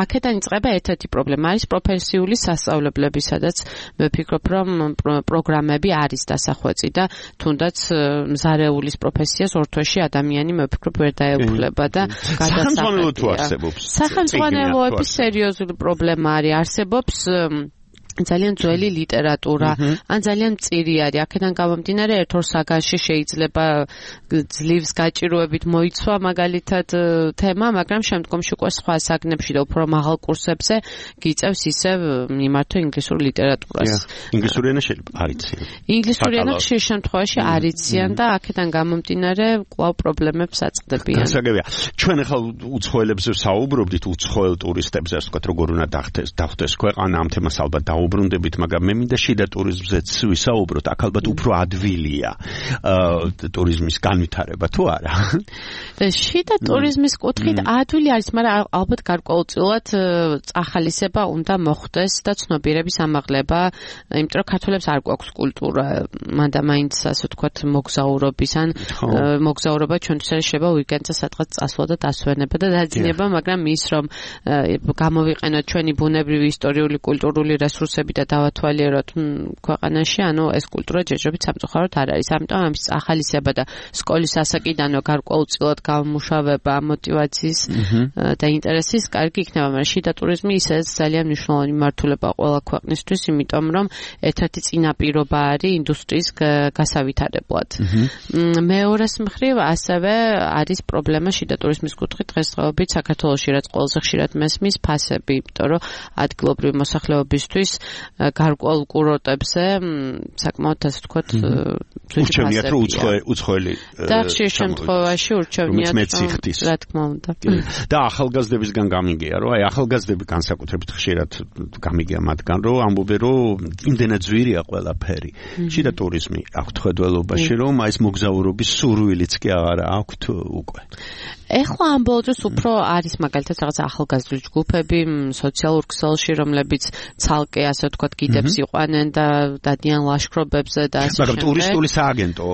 აქედან იწყება ერთ-ერთი პრობლემა არის პროფესიული სასწავლებლები, სადაც მე ვფიქრობ, რომ პროგრამები არის დასახვეწი და თუნდაც მზარეულის პროფესიას ორ თვეში ადამიანი მე ვფიქრობ ვერ დაეუფლება და გადასახადია. სახელმწიფოების სერიოზული პრობლემა არის, არსებობს ძალიან ძველი ლიტერატურა, ან ძალიან მწირი არის. აქედან გამომდინარე ერთ-ორ საგანში შეიძლება ძლივს გაჭიროებით მოიცვა მაგალითად თემა, მაგრამ შემდგომში უკვე სხვა საგნებში და უფრო მაღალ კურსებზე გიწევს ისევ მიმართო ინგლისურ ლიტერატურას. ინგლისური ენა შეიძლება არიციან. ინგლისური ენა ხშირ შემთხვევაში არიციან და აქედან გამომდინარე კვლავ პრობლემებს აწყდებიან. გასაგებია. ჩვენ ახლა უცხოელებზე საუბრობდით, უცხოელ ტურისტებზე, ასე ვთქვათ, როგორ უნდა დახვდეს ქვეყანა ამ თემას ალბათ უბრუნდებით, მაგრამ მე მინდა შიდა ტურიზმზეც ვისაუბროთ, აქ ალბათ უფრო ადვილია ტურიზმის განვითარება თუ არა? შიდა ტურიზმის კუთხით ადვილი არის, მაგრამ ალბათ გარკვეულწილად წახალისება უნდა მოხდეს და ცნობიერების ამაღლება, იმიტომ რომ ქართველებს არ გვაქვს კულტურა, მანდამაინც ასე ვთქვათ მოგზაურობის, ან მოგზაურობა ჩვენთვის შეიძლება უიკენდზე სადღაც წასვლა და დასვენება და დაძინება, მაგრამ ის რომ გამოვიყენოთ ჩვენი ბუნებრივი ისტორიული კულტურული რესურსები რესურსები და დავათვალიეროთ ქვეყანაში, ანუ ეს კულტურა ჯერჯერობით სამწუხაროდ არ არის. ამიტომ ამის ახალისება და სკოლის ასაკიდანვე გარკვეულწილად გამომუშავება მოტივაციის და ინტერესის კარგი იქნება, მაგრამ შიდა ტურიზმი ისედაც ძალიან მნიშვნელოვანი მართულება ყველა ქვეყნისთვის, იმიტომ რომ ერთ-ერთი წინაპირობა არის ინდუსტრიის გასავითარებლად. მეორეს მხრივ ასევე არის პრობლემა შიდა ტურიზმის კუთხით დღესდღეობით საქართველოში, რაც ყველაზე ხშირად მესმის, ფასები, იმიტომ რომ ადგილობრივი მოსახლეობისთვის გარკვეულ კურორტებზე საკმაოდ ასე ვთქვათ ურჩევნიათ რომ უცხოელი და ხშირ შემთხვევაში ურჩევნიათ რა თქმა უნდა. და ახალგაზრდებისგან გამიგია რომ აი ახალგაზრდები განსაკუთრებით ხშირად გამიგია მათგან რომ ამბობენ რომ იმდენად ძვირია ყველაფერი. შიდა ტურიზმი აქვთ ხედველობაში რომ აი ეს მოგზაურობის სურვილიც კი აღარ აქვთ უკვე. ეხლა ამ ბოლო დროს უფრო არის მაგალითად რაღაც ახალგაზრდული ჯგუფები სოციალურ ქსელში, რომლებიც ცალკე ასე ვთქვათ გიდებს იყვანენ და დადიან ლაშქრობებზე და ასე მაგრამ ტურისტული სააგენტო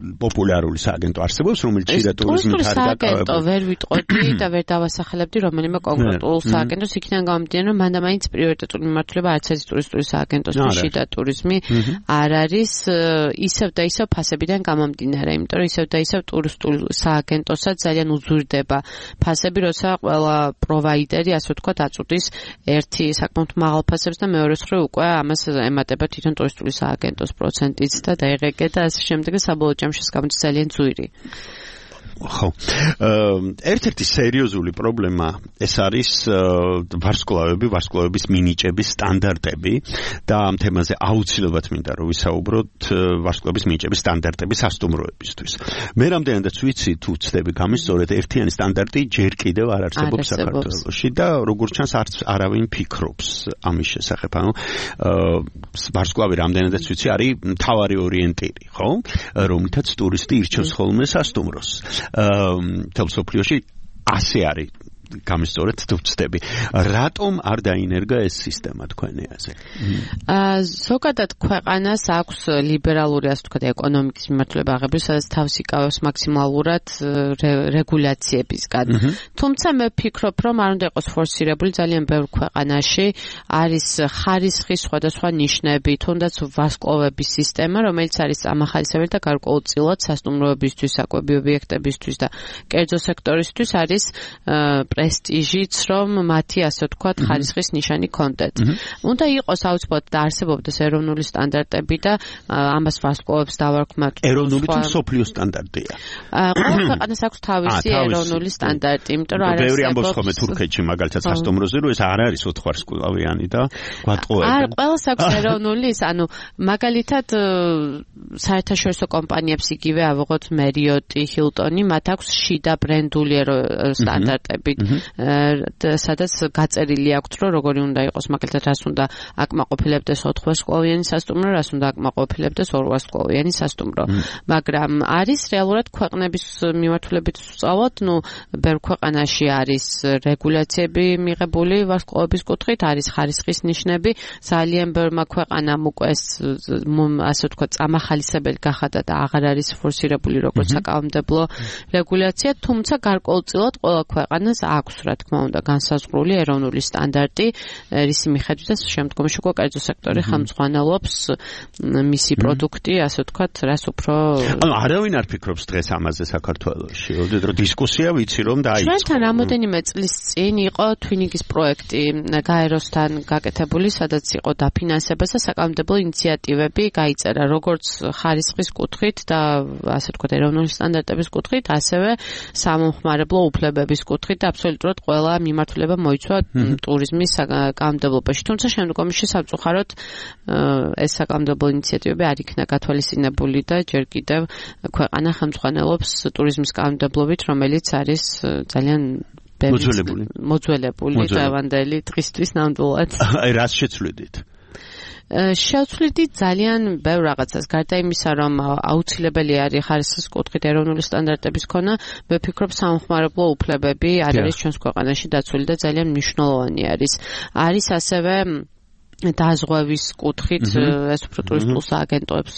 პოპულარული სააგენტო არსებობს, რომელიც შიდა ტურიზმით არის დაკავებული. ვერ ვიტყოდი და ვერ დავასახელებდი რომელიმე კონკრეტულ სააგენტოს, იქიდან გამომდინარე, რომ მანდ-მაინც პრიორიტეტული მიმართულება არც არის ტურისტული სააგენტოსთვის შიდა ტურიზმი არ არის ისევ და ისევ ფასებიდან გამომდინარე, იმიტომ რომ ისევ და ისევ ტურისტულ სააგენტოსაც ძალიან უზურდება ფასები, როცა ყველა პროვაიდერი ასე ვთქვათ აწუდის ერთი საკმაოდ მაღალ ფასებს და მეორე მხრივ უკვე ამას ემატება თვითონ ტურისტული სააგენტოს პროცენტიც და დაიღეგე და ასე შემდეგ და საბოლოო ჯამში გამოდის ძალიან ძვირი. ხო. ერთ-ერთი სერიოზული პრობლემა ეს არის ვარსკვლავების მინიჭების სტანდარტები და ამ თემაზე აუცილებლად მინდა რომ ვისაუბროთ ვარსკვლავების მინიჭების სტანდარტების სასტუმროებისთვის. მე რამდენადაც ვიცი თუ ვცდები გამისწორეთ ერთიანი სტანდარტი ჯერ კიდევ არ არსებობს საქართველოში და როგორც ჩანს არც არავინ ფიქრობს ამის შესახებ. ანუ ვარსკვლავი რამდენადაც ვიცი არის მთავარი ორიენტირი, ხო? რომლითაც ტურისტი ირჩევს ხოლმე სასტუმროს. თელსოფლიოში ასე არის გამისწორეთ თუ ვცდები. რატომ არ დაინერგა ეს სისტემა თქვენი აზრით? ზოგადად ქვეყანას აქვს ლიბერალური ასე ვთქვათ ეკონომიკის მიმართულება აღებული, სადაც თავს იკავებს მაქსიმალურად რეგულაციებისგან. თუმცა მე ვფიქრობ, რომ არ უნდა იყოს ფორსირებული ძალიან ბევრ ქვეყანაში არის ხარისხის სხვადასხვა ნიშნები, თუნდაც ვარსკვლავების სისტემა, რომელიც არის ამახალისებელი და გარკვეულწილად სასტუმროებისთვის, საკვები ობიექტებისთვის და კერძო სექტორისთვის არის პრესტიჟიც, რომ მათი ასე ვთქვათ ხარისხის ნიშანი კონდეთ. უნდა იყოს აუცილებლად და არსებობდეს ეროვნული სტანდარტები და ამას ვარსკვლავებს დავარქმევთ. ეროვნული თუ მსოფლიო სტანდარტია? ყველა ქვეყანას აქვს თავისი ეროვნული სტანდარტი, იმიტომ რომ არ არსებობს. ბევრი ამბობს ხოლმე თურქეთში მაგალითად სასტუმროზე, რომ ეს არ არის 4 ვარსკვლავიანი და გვატყუებენ. არა, ყველას აქვს ეროვნული, ანუ მაგალითად საერთაშორისო კომპანიებს იგივე ავიღოთ Marriott, Hilton, მათ აქვს შიდა ბრენდული სტანდარტები. სადაც გაწერილი აქვს, რომ როგორი უნდა იყოს, მაგალითად, რას უნდა აკმაყოფილებდეს 4 ვარსკვლავიანი სასტუმრო, რას უნდა აკმაყოფილებდეს 2 ვარსკვლავიანი სასტუმრო. მაგრამ არის რეალურად ქვეყნების მიმართულებით ვწავოთ, ბევრ ქვეყანაში არის რეგულაციები მიღებული ვარსკვლავების კუთხით, არის ხარისხის ნიშნები, ძალიან ბევრმა ქვეყანამ უკვე ასე ვთქვათ, წამახალისებელი გახადა და აღარ არის ფორსირებული როგორც საკანონმდებლო რეგულაცია, თუმცა გარკვეულწილად ყველა ქვეყანას აქვს, რა თქმა უნდა, განსაზღვრული ეროვნული სტანდარტი, რისი მიხედვითაც შემდგომში უკვე კერძო სექტორი ხელმძღვანელობს მისი პროდუქტი, ასე ვთქვათ, რას უფრო ანუ არავინ არ ფიქრობს დღეს ამაზე საქართველოში. რომ დისკუსია ვიცი რომ დაიწყო. ჩვენთან რამოდენიმე წლის წინ იყო თვინიგის პროექტი გაეროსთან გაკეთებული, სადაც იყო დაფინანსება და საკანონმდებლო ინიციატივები გაიწერა, როგორც ხარისხის კუთხით და ასე ვთქვათ, ეროვნული სტანდარტების კუთხით, ასევე სამომხმარებლო უფლებების კუთხით და აბსოლუტურად ყველა მიმართულება მოიცვა ტურიზმის საკანონმდებლობაში. თუმცა შემდგომში სამწუხაროდ ეს საკანონმდებლო ინიციატივები არ იქნა გათვალისწინებული და ჯერ კიდევ ქვეყანა ხელმძღვანელობს ტურიზმის კანონმდებლობით, რომელიც არის ძალიან მოძველებული დღევანდელი დღისთვის ნამდვილად. აი რას შეცვლიდით? შევცვლიდით ძალიან ბევრ რაღაცას. გარდა იმისა, რომ აუცილებელი არის ხარისხის კუთხით ეროვნული სტანდარტების ქონა, მე ვფიქრობ სამომხმარებლო უფლებები არ არის ჩვენს ქვეყანაში დაცული და ძალიან მნიშვნელოვანი არის. არის ასევე დაზღვევის კუთხით ეს უფრო ტურისტულ სააგენტოებს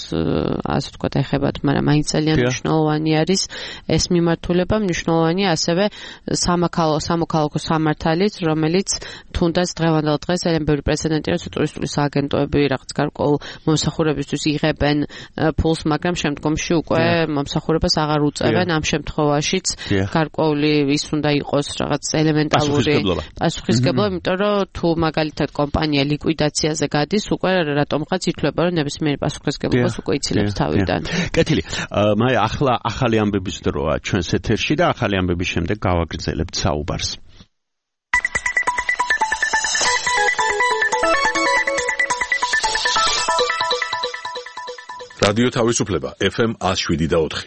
ასე ვთქვათ ეხებათ, მაგრამ მაინც ძალიან მნიშვნელოვანი არის ეს მიმართულება, მნიშვნელოვანია ასევე სამოქალაქო სამართალიც, რომელიც თუნდაც დღევანდელ დღეს ძალიან ბევრი პრეცედენტი არის, ტურისტული სააგენტოები რაღაც გარკვეულ მომსახურებისთვის იღებენ ფულს, მაგრამ შემდგომში უკვე მომსახურებას აღარ უწევენ. ამ შემთხვევაშიც გარკვეული ის უნდა იყოს რაღაც ელემენტალური პასუხისგებლობა, იმიტომ რომ თუ მაგალითად კომპანია ლიკვიდაციაზე გადის, უკვე რატომღაც ითვლება, რომ ნებისმიერი პასუხისგებლობას უკვე იცილებს თავიდან. კეთილი. მაი ახლა ახალი ამბების დროა ჩვენს ეთერში და ახალი ამბების შემდეგ გავაგრძელებთ საუბარს. რადიო თავისუფლება FM 107.4.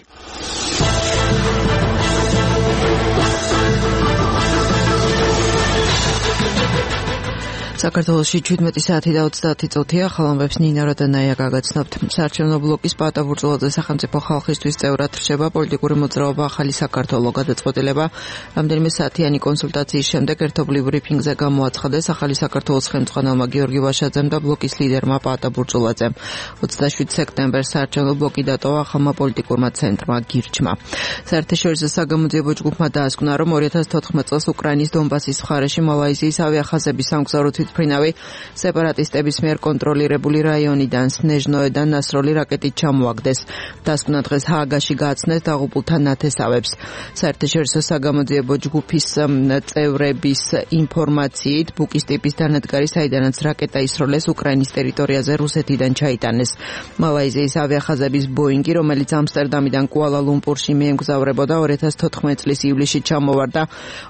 საქართველოში 17 საათი და 30 წუთია. ხალხებს ნინა როდანაია გაგაცნობთ. საარჩევნო ბლოკის პატა ბურჯულაძე სახელმწიფო ხალხისთვის წევრად რჩება. პოლიტიკური მოძრაობა ახალი საქართველო გადაწყვეტილება რამდენიმე საათიანი კონსულტაციის შემდეგ ერთობლივ ბრიფინგზე გამოაცხადეს ახალი საქართველოს ხელმძღვანელმა გიორგი ვაშაძემ და ბლოკის ლიდერმა პატა ბურჯულაძემ. 27 სექტემბერს საარჩევნო ბლოკი დატოვა ახალმა პოლიტიკურმა ცენტრმა გირჩმა. საერთაშორისო საგამოძიებო ჯგუფმა დაასკვნა, რომ 2014 წელს უკრაინის დონბასის მხარეში მალაიზიის ავიახაზების სამგზავრო თვითმფრინავი სეპარატისტების მიერ კონტროლირებული რაიონიდან სნეჟნოედან ნასროლი რაკეტით ჩამოაგდეს. დასკვნა დღეს ჰააგაში გააცნეს დაღუპულთა ნათესავებს. საერთაშორისო საგამოძიებო ჯგუფის წევრების ინფორმაციით, ბუკის ტიპის დანადგარი, საიდანაც რაკეტა ისროლეს უკრაინის ტერიტორიაზე რუსეთიდან ჩაიტანეს. მალაიზიის ავიახაზების ბოინგი, რომელიც ამსტერდამიდან კუალა-ლუმპურში მიემგზავრებოდა, 2014 წლის ივლისში ჩამოვარდა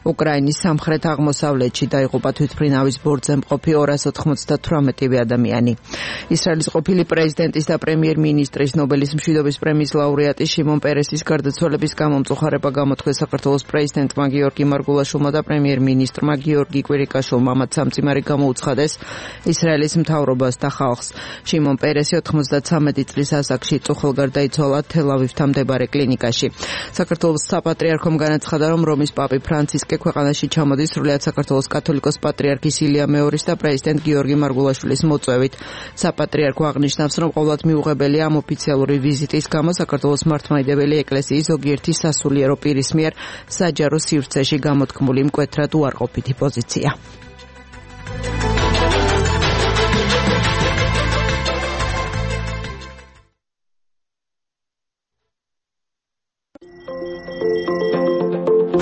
უკრაინის სამხრეთ აღმოსავლეთში. დაიღუპა თვითმფრინავის ბორტზე მყოფი 298 ადამიანი. ისრაელის ყოფილი პრეზიდენტის და პრემიერ-მინისტრის ნობელის მშვიდობის პრემიის ლაურეატი შიმონ პერესის გარდაცვალების გამომწუხარება გამოთქვეს საქართველოს პრეზიდენტმა გიორგი მარგულაშვილმა და პრემიერ-მინისტრმა გიორგი კვირიკაშვილმა. მათ სამწიმარი გამოუცხადეს ისრაელის მთავრობას და ხალხს. შიმონ პერესი 93 წლის ასაკში წუხელ გარდაიცვალა თელ-ავივთან მდებარე კლინიკაში. საქართველოს საპატრიარქომ განაცხადა, რომ რომის პაპი ფრანცისკე ქვეყანაში ჩამოდის სრულიად საქართველოს კათოლიკოს პატრიარქის ილია მეორის და პრეზიდენტ გიორგი მარგულაშვილის მოწვევით. საპატრიარქო აღნიშნავს, რომ ყოველთ მიუღებელია ამ ოფიციალური ვიზიტის გამო საქართველოს მართლმადიდებელი ეკლესიის ზოგიერთი სასულიერო პირის მიერ საჯარო სივრცეში გამოთქმული მკვეთრად უარყოფითი პოზიცია.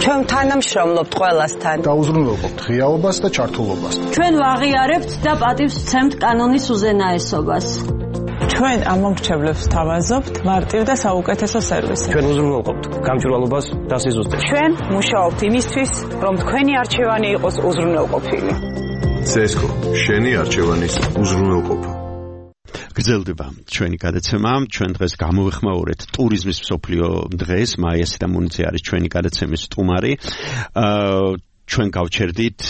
ჩვენ თანამშრომლობთ ყველასთან. დაუზრუნველყოფთ ღიაობას და ჩართულობას. ჩვენ ვაღიარებთ და პატივს ვცემთ კანონის უზენაესობას. ჩვენ ამომრჩევლებს თავაზობთ მარტივ და საუკეთესო სერვისს. ჩვენ უზრუნველყოფთ გამჭვირვალობას და სიზუსტეს. ჩვენ მუშაობთ იმისთვის, რომ თქვენი არჩევანი იყოს უზრუნველყოფილი. CSGO, შენი არჩევანის უზრუნველყოფა. გრძელდება ჩვენი გადაცემა. ჩვენ დღეს გამოვეხმაურეთ ტურიზმის მსოფლიო დღეს. მაია სიდამუნიძე არის ჩვენი გადაცემის სტუმარი. ჩვენ გავჩერდით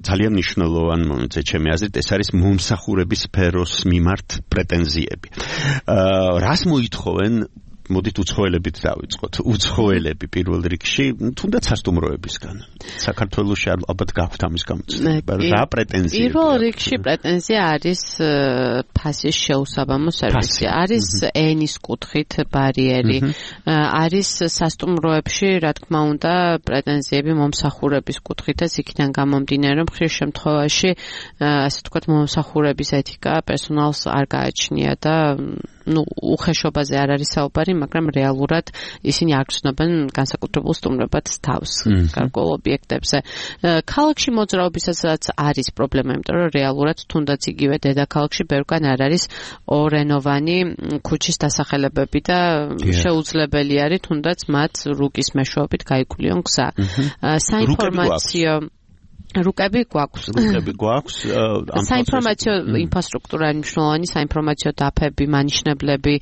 ძალიან მნიშვნელოვან მომენტზე, ჩემი აზრით, ეს არის მომსახურების სფეროს მიმართ პრეტენზიები. რას მოითხოვენ? მოდით უცხოელებით დავიწყოთ. უცხოელები პირველ რიგში, თუნდაც სასტუმროებისგან. საქართველოში ალბათ გაქვთ ამის გამოცდილება. რა პრეტენზია? პირველ რიგში პრეტენზია არის ფასის შეუსაბამო სერვისი. არის ენის კუთხით ბარიერი. არის სასტუმროებში, რა თქმა უნდა, პრეტენზიები მომსახურების კუთხითაც იქიდან გამომდინარე, რომ ხშირ შემთხვევაში, ასე ვთქვათ, მომსახურების ეთიკა პერსონალს არ გააჩნია და უხეშობაზე არ არის საუბარი, მაგრამ რეალურად ისინი არ გრძნობენ განსაკუთრებულ სტუმრებად თავს გარკვეულ ობიექტებზე. ქალაქში მოძრაობისაცაც არის პრობლემა, იმიტომ რომ რეალურად თუნდაც იგივე დედაქალაქში ბევრგან არ არის ორენოვანი ქუჩის დასახელებები და შეუძლებელი არის თუნდაც მათ რუკის მეშვეობით გაიკვლიონ გზა. საინფორმაციო რუკები გვაქვს. საინფორმაციო ინფრასტრუქტურა მნიშვნელოვანი, საინფორმაციო დაფები, მანიშნებლები,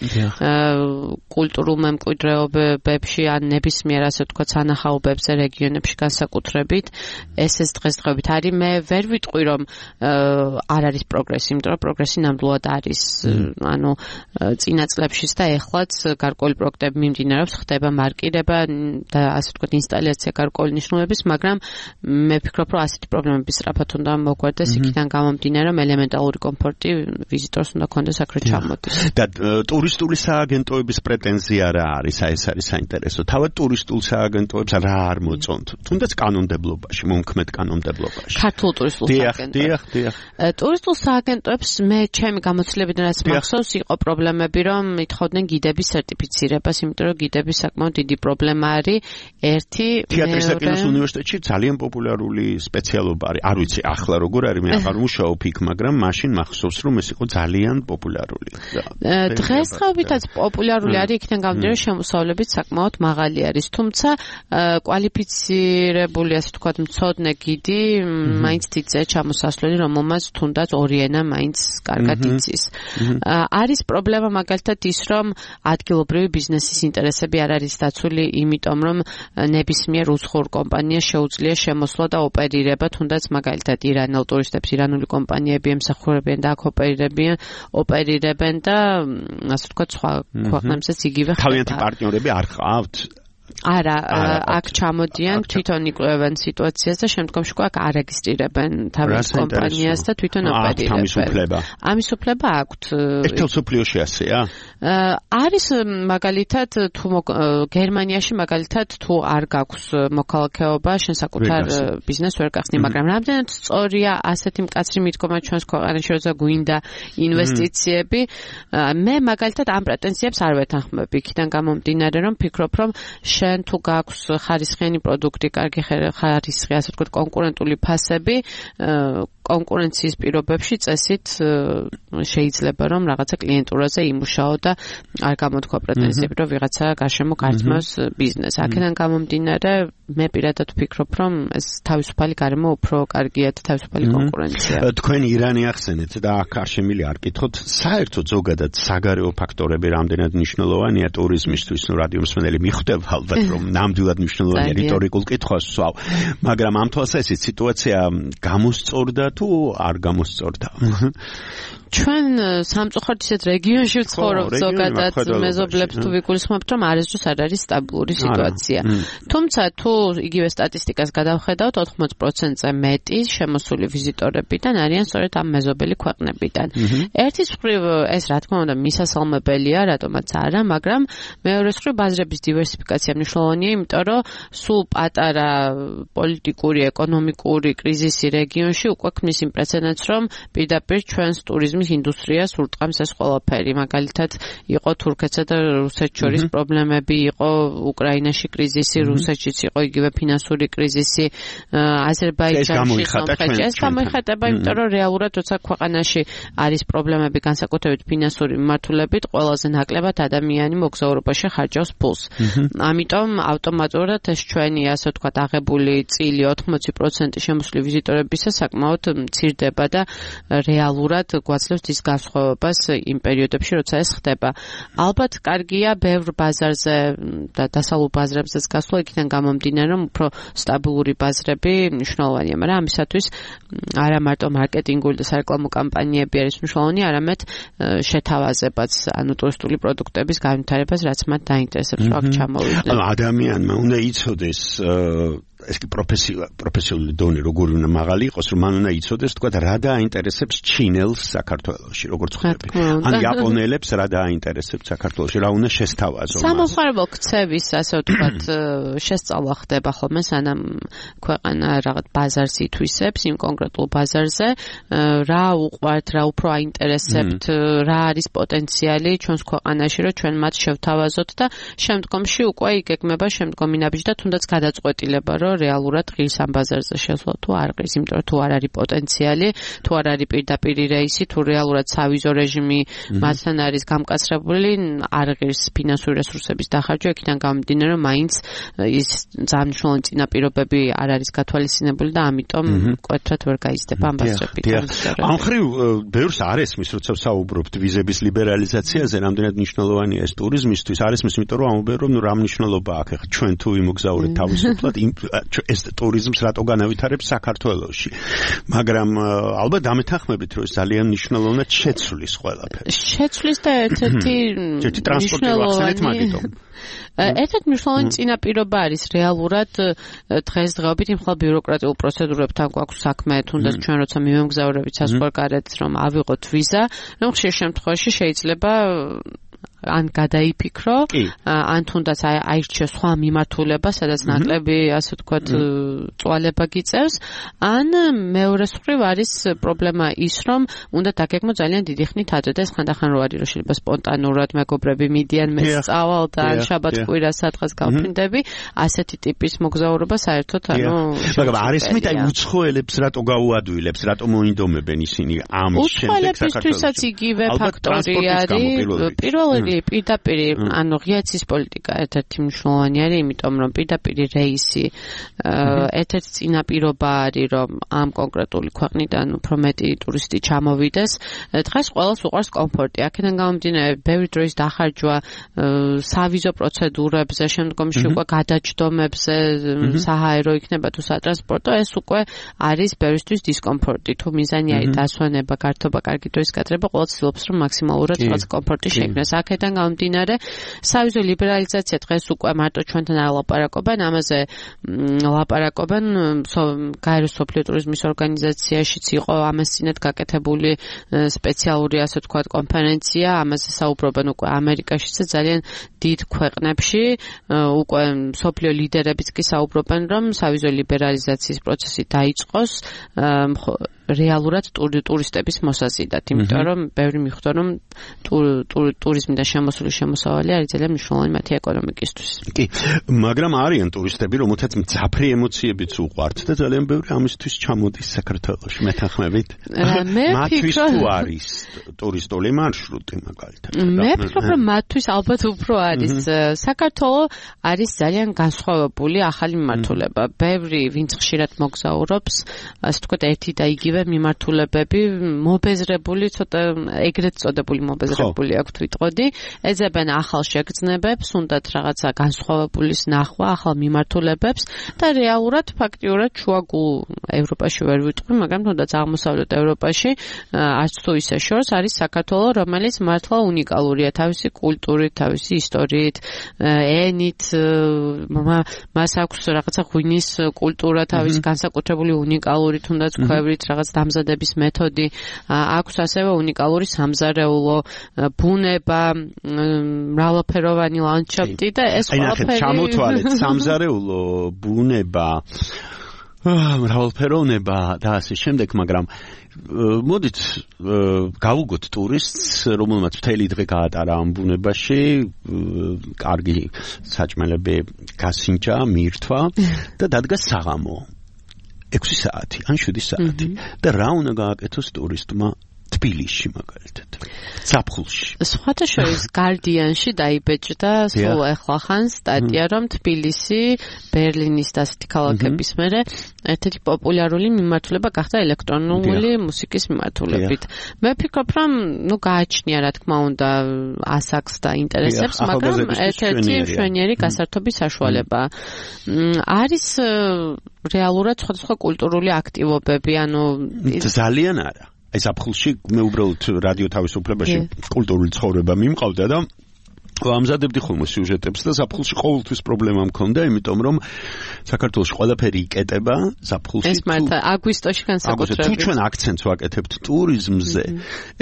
კულტურულ მემკვიდრეობებში ან ნებისმიერ ასე ვთქვათ სანახაობებზე რეგიონებში განსაკუთრებით ეს დღესდღეობით არის. მე ვერ ვიტყვი რომ არ არის პროგრესი, იმიტომ რომ პროგრესი ნამდვილად არის. ანუ წინა წლებშიც და ეხლაც გარკვეული პროექტები მიმდინარეობს, ხდება მარკირება და ასე ვთქვათ ინსტალაცია გარკვეული მნიშვნელობის, მაგრამ მე ვფიქრობ რომ ასეთი ერთი პრობლემები სწრაფად უნდა მოგვარდეს იქიდან გამომდინარე, რომ ელემენტალური კომფორტი ვიზიტორს უნდა კონდეს აქ რომ ჩამოდის. და ტურისტული სააგენტოების პრეტენზია რა არის? ეს არის საინტერესო. თავად ტურისტულ სააგენტოებს რა არ მოწონთ? თუნდაც კანონმდებლობაში, მომქმედ კანონმდებლობაში. ქართულ ტურისტულ სააგენტოებს. დიახ. ტურისტულ სააგენტოებს მე ჩემი გამოცდილებიდან რაც მახსოვს იყო პრობლემები, რომ ითხოვდნენ გიდების სერტიფიცირებას, იმიტომ რომ გიდების საკმაოდ დიდი პრობლემა არის. ერთი თეატრის და კინოს უნივერსიტეტში ძალიან პოპულარული სპეციალობა არის. არ ვიცი ახლა როგორ არის, მე აღარ მუშაობ იქ, მაგრამ მაშინ მახსოვს რომ ეს იყო ძალიან პოპულარული. დღესდღეობითაც პოპულარული არის, იქიდან გამომდინარე შემოსავლებიც საკმაოდ მაღალი არის, თუმცა კვალიფიცირებული, ასე ვთქვათ, მცოდნე გიდი მაინც დიდზე ჩამოსასვლელი, რომელმაც თუნდაც ორი ენა მაინც კარგად იცის. არის პრობლემა მაგალითად ის, რომ ადგილობრივი ბიზნესის ინტერესები არ არის დაცული, იმიტომ რომ ნებისმიერ უცხოურ კომპანიას შეუძლია შემოსვლა და ოპერირება, თუნდაც მაგალითად ირანელ ტურისტებს ირანული კომპანიები ემსახურებიან და აქ ოპერირებენ და ასე ვთქვათ, სხვა ქვეყნებსაც იგივე ხდება. თავიანთი პარტნიორები არ ყავთ? არა, აქ ჩამოდიან, თვითონ იკვლევენ სიტუაციას და შემდგომში აქ არეგისტრირებენ თავის კომპანიას და თვითონ ოპერირებენ. ამის უფლება აქვთ. ერთელ სოფლიოში ასეა? არის მაგალითად თუ გერმანიაში მაგალითად თუ არ გაქვს მოქალაქეობა, შენ საკუთარ ბიზნესს ვერ გახსნი, მაგრამ რამდენად სწორია ასეთი მკაცრი მიდგომა ჩვენს ქვეყანაში, როცა გვინდა ინვესტიციები, მე მაგალითად ამ პრეტენზიებს არ ვეთანხმები, იქიდან გამომდინარე, რომ ფიქრობ, რომ შენ თუ გაქვს ხარისხიანი პროდუქტი, კარგი ხარისხი, ასე ვთქვათ, კონკურენტული ფასები, კონკურენციის პირობებში წესით შეიძლება რომ რაღაცა კლიენტურაზე იმუშაო და არ გამოთქვა პრეტენზიები, რომ ვიღაცა გარშემო გართმევს ბიზნესს. აქედან გამომდინარე, მე პირადად ვფიქრობ, რომ ეს თავისუფალი გარემო უფრო კარგია და თავისუფალი კონკურენცია. თქვენ ირანი ახსენეთ და აქ არ შემილი არ კითხოთ, საერთოდ ზოგადად საგარეო ფაქტორები რამდენად მნიშვნელოვანია ტურიზმისთვის, ნუ რადიო მსმენელი მიხვდება ალბათ, რომ ნამდვილად მნიშვნელოვანია რიტორიკულ კითხვას ვსვავ, მაგრამ ამ თვალსაზრისით სიტუაცია გამოსწორდა თუ არ გამოსწორდა? ჩვენ სამწუხაროდ ისეთ რეგიონში ვცხოვრობ, ზოგადად მეზობლებს თუ ვიგულისხმობთ, რომ არასდროს არ არის სტაბილური სიტუაცია. თუმცა თუ იგივე სტატისტიკას გადავხედავთ, 80%-ზე მეტი შემოსული ვიზიტორებიდან არიან სწორედ ამ მეზობელი ქვეყნებიდან. ერთის მხრივ ეს რა თქმა უნდა მისასალმებელია, რატომაც არა, მაგრამ მეორეს მხრივ ბაზრების დივერსიფიკაცია მნიშვნელოვანია, იმიტომ რომ სულ პატარა პოლიტიკური, ეკონომიკური კრიზისი რეგიონში უკვე ქმნის იმ პრეცედენტს, რომ პირდაპირ ჩვენს ტურიზმის ინდუსტრიას ურტყამს ეს ყველაფერი. მაგალითად, იყო თურქეთსა და რუსეთს შორის პრობლემები, იყო უკრაინაში კრიზისი, რუსეთშიც იყო იგივე ფინანსური კრიზისი, აზერბაიჯანში სამხედრო. ეს გამოიხატება, იმიტომ რომ რეალურად როცა ქვეყანაში არის პრობლემები განსაკუთრებით ფინანსური მიმართულებით, ყველაზე ნაკლებად ადამიანი მოგზაურობაში ხარჯავს ფულს. ამიტომ ავტომატურად ეს ჩვენი, ასე ვთქვათ, აღებული წილი 80% შემოსული ვიზიტორებისა საკმაოდ მცირდება და რეალურად გვაძლევს ის განსხვავებას იმ პერიოდებში, როცა ეს ხდება. ალბათ კარგია ბევრ ბაზარზე და დასავლურ ბაზრებზეც გასვლა, იქიდან გამომდინარე, რომ უფრო სტაბილური ბაზრები მნიშვნელოვანია, მაგრამ ამისათვის არა მარტო მარკეტინგული და სარეკლამო კამპანიები არის მნიშვნელოვანი, არამედ შეთავაზებაც, ანუ ტურისტული პროდუქტების განვითარებას, რაც მათ დაინტერესებს, რომ აქ ჩამოვიდნენ. ადამიანმა უნდა იცოდეს ეს კი პროფესიონალური დონე როგორი უნდა მაღალი იყოს, რომ მან უნდა იცოდეს, თქვა რა დააინტერესებს ჩინელს საქართველოში, როგორც ხვდები. ან იაპონელებს რა დააინტერესებს საქართველოში, რა უნდა შესთავაზონ. სამომხმარებლო ქცევის, ასე ვთქვათ, შესწავლა ხდება ხოლმე, სანამ ქვეყანა რაღაც ბაზარს ითვისებს იმ კონკრეტულ ბაზარზე, რა უყვართ, რა უფრო აინტერესებთ, რა არის პოტენციალი ჩვენს ქვეყანაში, რომ ჩვენ მათ შევთავაზოთ და შემდგომში უკვე იგეგმება შემდგომი ნაბიჯი და თუნდაც გადაწყვეტილება, რომ რეალურად ღირს ამ ბაზარზე შესვლა თუ არ ღირს, იმიტომ რომ თუ არ არის პოტენციალი, თუ არ არის პირდაპირ რეისი, თუ რეალურად სავიზო რეჟიმი მათთან არის გამკაცრებული, არ ღირს ფინანსური რესურსების დახარჯვა, იქიდან გამომდინარე, რომ მაინც ის ძალიან მნიშვნელოვანი წინაპირობები არ არის გათვალისწინებული და ამიტომ მკვეთრად ვერ გაიზრდება ამ ბაზრები. ამ ხრივ ბევრს არ ესმის, როცა საუბრობთ ვიზების ლიბერალიზაციაზე, რამდენად მნიშვნელოვანია ეს ტურიზმისთვის, არ ესმის, იმიტომ რომ ამბობენ, რომ რა მნიშვნელობა აქვს ახლა ჩვენ თუ იმოგზაურეთ თავისუფლად ეს ტურიზმს რატო განავითარებს საქართველოში. მაგრამ ალბათ დამეთანხმებით, რომ ეს ძალიან მნიშვნელოვნად შეცვლის ყველაფერს. შეცვლის და ერთ-ერთი მნიშვნელოვანი ერთ-ერთი მნიშვნელოვანი წინაპირობა არის რეალურად დღესდღეობით იმ ხალ ბიუროკრატიულ პროცედურებთან გვაქვს საქმე, თუნდაც ჩვენ როცა მივემგზავრებით საზღვარგარეთ, რომ ავიღოთ ვიზა, რომ ხშირ შემთხვევაში შეიძლება ან გადაიფიქრო, ან თუნდაც აირჩიოს სხვა მიმართულება, სადაც ნაკლები, ასე ვთქვათ, წვალება გიწევს, ან მეორე მხრივ არის პრობლემა ის, რომ უნდა დაგეგმო ძალიან დიდი ხნით ადრე და ეს ხანდახან რო არის, რომ შეიძლება სპონტანურად მეგობრები მიდიან, მე სწავალ და შაბათ-კვირას სადღაც გავფრინდები, ასეთი ტიპის მოგზაურობა საერთოდ მაგრამ არის მით აი უცხოელებს რატო გაუადვილებს, რატო მოინდომებენ ისინი ამ შემდეგ საქართველოსაც იგივე ფაქტორი არის. პირველი პირდაპირ ანუ ღიაცის პოლიტიკა ერთ-ერთი მნიშვნელოვანი არის, იმიტომ რომ პირდაპირ რეისი ერთ-ერთი წინაპირობა არის, რომ ამ კონკრეტული ქვეყნიდან უფრო მეტი ტურისტი ჩამოვიდეს. დღეს ყველას უყვარს კომფორტი. აქედან გამომდინარე, ბევრი დროის დახარჯვა სავიზო პროცედურებზე, შემდგომში უკვე გადაჯდომებზე, საჰაერო იქნება თუ სატრანსპორტო, ეს უკვე არის ბევრისთვის დისკომფორტი. თუ მიზანი არის დასვენება, გართობა, კარგი დროის გატარება, ყველა ცდილობს, რომ მაქსიმალურად რაღაც კომფორტი შექმნას. აქედან გამომდინარე, სავიზო ლიბერალიზაცია დღეს უკვე მარტო ჩვენთან არ ლაპარაკობენ, ამაზე ლაპარაკობენ გაერო სოფლიო ტურიზმის ორგანიზაციაშიც იყო ამას წინათ გაკეთებული სპეციალური, ასე ვთქვათ, კონფერენცია, ამაზე საუბრობენ უკვე ამერიკაშიც და ძალიან დიდ ქვეყნებში, უკვე სოფლიო ლიდერებიც კი საუბრობენ, რომ სავიზო ლიბერალიზაციის პროცესი დაიწყოს რეალურად ტურისტების მოსაზიდად, იმიტომ რომ ბევრი მიხვდა, რომ ტურიზმიდან შემოსული შემოსავალი არის ძალიან მნიშვნელოვანი მათი ეკონომიკისთვის. კი, მაგრამ არიან ტურისტები, რომელთაც მძაფრი ემოციებიც უყვართ და ძალიან ბევრი ამისთვის ჩამოდის საქართველოში, მეთანხმებით. მათთვის თუ არის ტურისტული მარშრუტი მაგალითად. მე ვფიქრობ, რომ მათთვის ალბათ უფრო არის. საქართველო არის ძალიან განსხვავებული ახალი მიმართულება. ბევრი, ვინც ხშირად მოგზაურობს, ასე ვთქვათ, ერთი და იგივე მიმართულებები, მობეზრებული, ცოტა ეგრეთ წოდებული მობეზრებული აქვთ ვიტყოდი, ეძებენ ახალ შეგრძნებებს, უნდათ რაღაცა განსხვავებულის ნახვა, ახალ მიმართულებებს და რეალურად, ფაქტიურად შუაგულ ევროპაში ვერ ვიტყვი, მაგრამ თუნდაც აღმოსავლეთ ევროპაში არც თუ ისე შორს არის საქართველო, რომელიც მართლა უნიკალურია თავისი კულტურით, თავისი ისტორიით, ენით, მას აქვს რაღაცა ღვინის კულტურა, თავისი განსაკუთრებული უნიკალური თუნდაც ქვევრით რაღაც დამზადების მეთოდი, აქვს ასევე უნიკალური სამზარეულო, ბუნება, მრავალფეროვანი ლანდშაფტი და ეს ყველაფერი ჩამოთვალეთ სამზარეულო, ბუნება, მრავალფეროვნება და ასე შემდეგ, მაგრამ მოდით გავუგოთ ტურისტს, რომელმაც მთელი დღე გაატარა ამ ბუნებაში, კარგი საჭმელები გასინჯა, მიირთვა და დადგა საღამო 6 საათი ან 7 საათი და რა უნდა გააკეთოს ტურისტმა თბილისში მაგალითად, ზაფხულში. სხვათა შორის გარდიანში დაიბეჭდა სულ ახლახან სტატია, რომ თბილისი ბერლინის და ასეთი ქალაქების მერე ერთ-ერთი პოპულარული მიმართულება გახდა ელექტრონული მუსიკის მიმართულებით. მე ვფიქრობ, რომ გააჩნია რა თქმა უნდა ასაკს და ინტერესებს, მაგრამ ერთ-ერთი მშვენიერი გასართობის საშუალება. არის რეალურად სხვადასხვა კულტურული აქტივობები, ანუ ძალიან არა. აი ზაფხულში მე უბრალოდ რადიო თავისუფლებაში კულტურული ცხოვრება მიმყავდა და ამზადებდი ხოლმე სიუჟეტებს და ზაფხულში ყოველთვის პრობლემა მქონდა, იმიტომ რომ საქართველოში ყველაფერი იკეტება ზაფხულში. ეს მართლა აგვისტოში განსაკუთრებით. თუ ჩვენ აქცენტს ვაკეთებთ ტურიზმზე,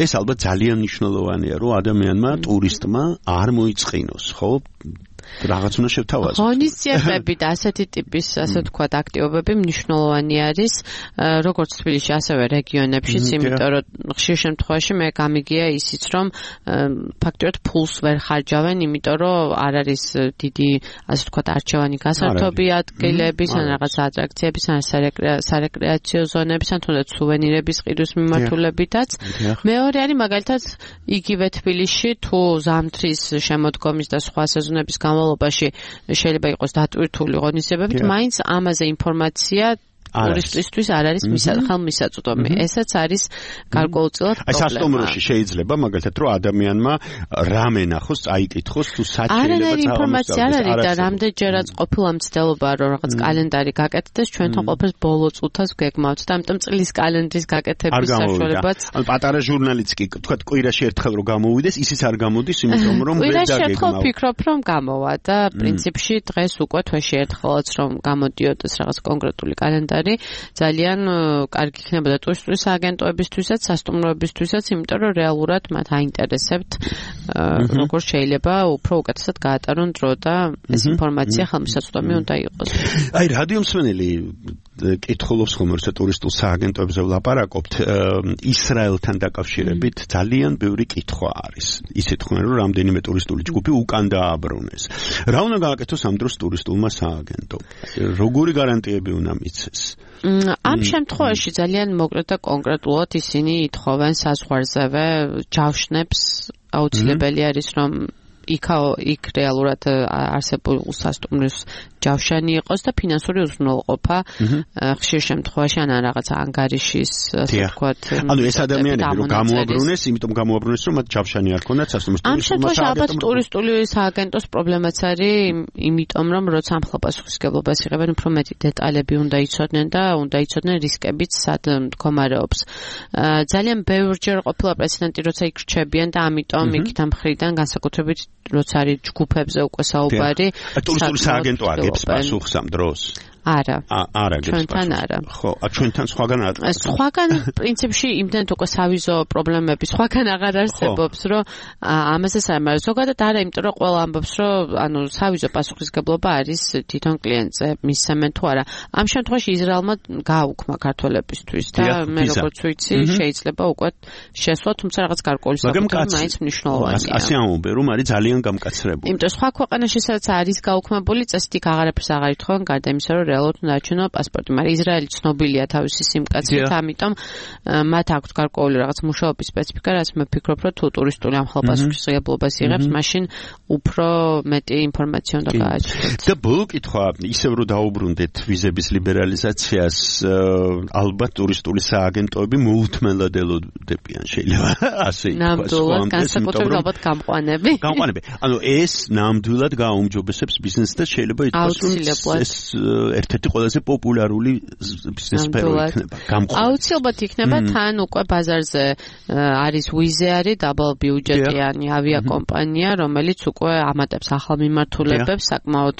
ეს ალბათ ძალიან მნიშვნელოვანია, რომ ადამიანმა, ტურისტმა არ მოიწყინოს, ხო? რაღაც უნდა შევთავაზოთ. ღონისძიებები და ასეთი ტიპის, ასე ვთქვათ, აქტივობები მნიშვნელოვანი არის, როგორც თბილისში, ასევე რეგიონებშიც, იმიტომ რომ ხშირ შემთხვევაში მე გამიგია ისიც, რომ ფაქტობრივად ფულს ვერ ხარჯავენ, იმიტომ რომ არ არის დიდი, ასე ვთქვათ, არჩევანი გასართობი ადგილების, ან რაღაც ატრაქციების, ან სარეკრეაციო ზონების, ან თუნდაც სუვენირების ყიდვის მიმართულებითაც. მეორე არის მაგალითად იგივე თბილისში, თუ ზამთრის შემოდგომის და სხვა სეზონების განმავლობაში შეიძლება იყოს დატვირთული ღონისძიებებით, მაინც ამაზე ინფორმაცია ტურისტისთვის არ არის ხელმისაწვდომი. ესაც არის გარკვეულწილად პრობლემა. აი სასტუმროში შეიძლება მაგალითად რომ ადამიანმა რამე ნახოს, წაიკითხოს თუ სად შეიძლება არანაირი ინფორმაცია არ არის და რამდენჯერაც ყოფილა მცდელობა რომ რაღაც კალენდარი გაკეთდეს, ჩვენთან ყოფილს ბოლო წუთას გეგმავთ და ამიტომ წლის კალენდრის გაკეთების საშუალებაც. ან პატარა ჟურნალიც კი თქვა კვირაში ერთხელ რომ გამოვიდეს, ისიც არ გამოდის, იმიტომ რომ ვერ დაგეგმავ. კვირაში ერთხელ ფიქრობ რომ გამოვა და პრინციპში დღეს უკვე თვეში ერთხელაც რომ გამოდიოდეს რაღაც კონკრეტული კალენდარი, ძალიან კარგი იქნებოდა ტურისტული სააგენტოებისთვისაც, სასტუმროებისთვისაც, იმიტომ რომ რეალურად მათ აინტერესებთ როგორ შეიძლება უფრო უკეთესად გაატარონ დრო და ეს ინფორმაცია ხელმისაწვდომი უნდა იყოს. აი რადიო მსმენელი კითხულობს ხომ როცა ტურისტულ სააგენტოებზე ვლაპარაკობთ, ისრაელთან დაკავშირებით ძალიან ბევრი კითხვა არის. ისეთ ხომ რომ რამდენიმე ტურისტული ჯგუფი უკან დააბრუნეს. რა უნდა გააკეთოს ამ დროს ტურისტულმა სააგენტომ? როგორი გარანტიები უნდა მიცეს? ამ შემთხვევაში ძალიან მოკლედ და კონკრეტულად ისინი ითხოვენ საზღვარზევე ჯავშნებს, აუცილებელი არის რომ იქ რეალურად არსებულ სასტუმროს ჯავშანი იყოს და ფინანსური უზრუნველყოფა ხშირ შემთხვევაში ან რაღაცა ანგარიშის ასე ვთქვათ. ანუ ეს ადამიანები რომ გამოაბრუნეს, იმიტომ გამოაბრუნეს რომ მათ ჯავშანი არ ქონდათ სასტუმროს. ამ შემთხვევაში ალბათ ტურისტული სააგენტოს პრობლემაც არის, იმიტომ რომ როცა ამ ხალხასხისგებლობას იღებენ, უფრო მეტი დეტალები უნდა იცოდნენ და უნდა იცოდნენ რისკებიც სად მდგომარეობს. ძალიან ბევრჯერ ყოფილა პრეცედენტი, როცა იქ რჩებიან და ამიტომ იქით ამ მხრიდან განსაკუთრებით როცა არის ჯგუფებზე უკვე საუბარი. ტურისტული სააგენტო აგებს პასუხს ამ დროს? არა. არა აგებს. ჩვენთან არა. ხო, ჩვენთან სხვაგან არა. სხვაგან პრინციპში იმდენთ უკვე სავიზო პრობლემები სხვაგან აღარ არსებობს, რომ ამასაც არ მაგრამ ზოგადად არა, იმიტომ რომ ყველა ამბობს, რომ ანუ სავიზო პასუხისგებლობა არის თვითონ კლიენტზე, მისცემენ თუ არა. ამ შემთხვევაში ისრაელმა გააუქმა ქართველებისთვის და მე როგორც ვიცი, შეიძლება უკვე შესვლა, თუმცა რაღაც გარკვეული საკუთრება მაინც მნიშვნელოვანია. ასე ამბობენ, რომ არის ძალიან გამკაცრებული. იმიტომ სხვა ქვეყანაში სადაც არის გაუქმებული წესით იქ აღარაფერს აღარ ითხოვენ, გარდა იმისა, რომ რეალურად უნდა აჩვენო პასპორტი, მაგრამ ისრაელი ცნობილია თავისი სიმკაცრით, ამიტომ მათ აქვთ გარკვეული რაღაც მუშაობის სპეციფიკა, რაც მე ვფიქრობ, რომ თუ ტურისტული ამ ხალხასხისგებლობას იღებს, მაშინ უფრო მეტი ინფორმაცია უნდა გააჩნდეთ. და ბოლო კითხვა, ისევ რომ დაუბრუნდეთ ვიზების ლიბერალიზაციას, ალბათ ტურისტული სააგენტოები მოუთმენლად ელოდებიან, შეიძლება ასე ითქვას. ნამდვილად, განსაკუთრებით ალბათ გამყვანები. ანუ ეს ნამდვილად გააუმჯობესებს ბიზნესს და შეიძლება ითქვას, რომ ეს ერთ-ერთი ყველაზე პოპულარული ბიზნეს სფერო იქნება. აუცილებლად იქნება, თან უკვე ბაზარზე არის Wizz Air, დაბალბიუჯეტიანი ავიაკომპანია, რომელიც უკვე ამატებს ახალ მიმართულებებს, საკმაოდ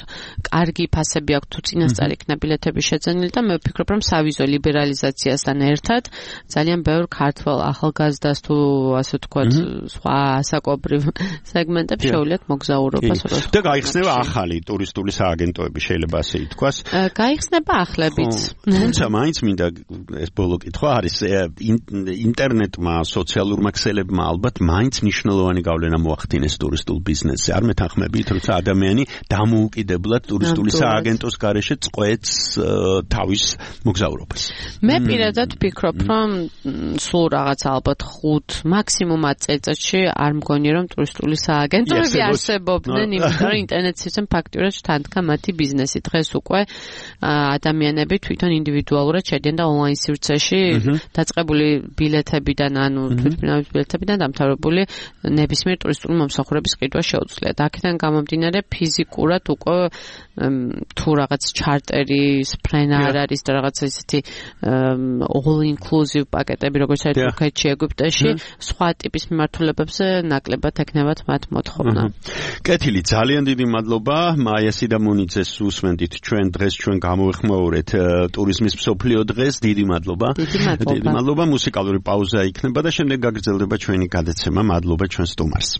კარგი ფასები აქვს თუ წინასწარ იქნება ბილეთების შეძენილი და მე ვფიქრობ, რომ სავიზო ლიბერალიზაციასთან ერთად ძალიან ბევრ ქართველ ახალგაზრდას თუ ასე ვთქვათ, სხვა ასაკობრივ სეგმენტებს შეუძლიათ მოგზაურობას. და გაიხსნება ახალი ტურისტული სააგენტოები, შეიძლება ასე ითქვას. გაიხსნება ახლებიც. თუმცა მაინც მინდა ეს ბოლო კითხვა არის ინტერნეტმა, სოციალურმა ქსელებმა ალბათ მაინც მნიშვნელოვანი გავლენა მოახდინეს ტურისტულ ბიზნესზე. არ მეთანხმებით, როცა ადამიანი დამოუკიდებლად ტურისტული სააგენტოს გარეშე წყვეტს თავის მოგზაურობას. მე პირადად ვფიქრობ, რომ სულ რაღაც ალბათ 5 მაქსიმუმ 10 წელიწადში არ მგონია, რომ ტურისტული სააგენტოები არსებობდნენ, იმიტომ რომ ინტერნეტის სისტემა ფაქტურად შთანთქა მათი ბიზნესი. დღეს უკვე ადამიანები თვითონ ინდივიდუალურად შედიან და ონლაინ სივრცეში დაწყებული ბილეთებიდან, ანუ თვითმფრინავის ბილეთებიდან დამთავრებული ნებისმიერ ტურისტული მომსახურების ყიდვა შეუძლიათ. აქედან გამომდინარე ფიზიკურად უკვე თუ რაღაც ჩარტერის ფრენა არ არის და რაღაც ისეთი all inclusive პაკეტები, როგორც არის თურქეთში, ეგვიპტეში, სხვა ტიპის მიმართულებებზე ნაკლებად ექნებათ მათ მოთხოვნა. კეთილი, ძალიან დიდი მადლობა. მაია სიდამონიძეს უსმენდით ჩვენ დღეს ჩვენ გამოვეხმაურეთ ტურიზმის მსოფლიო დღეს. დიდი მადლობა. დიდი მადლობა. მუსიკალური პაუზა იქნება და შემდეგ გაგრძელდება ჩვენი გადაცემა. მადლობა ჩვენ სტუმარს.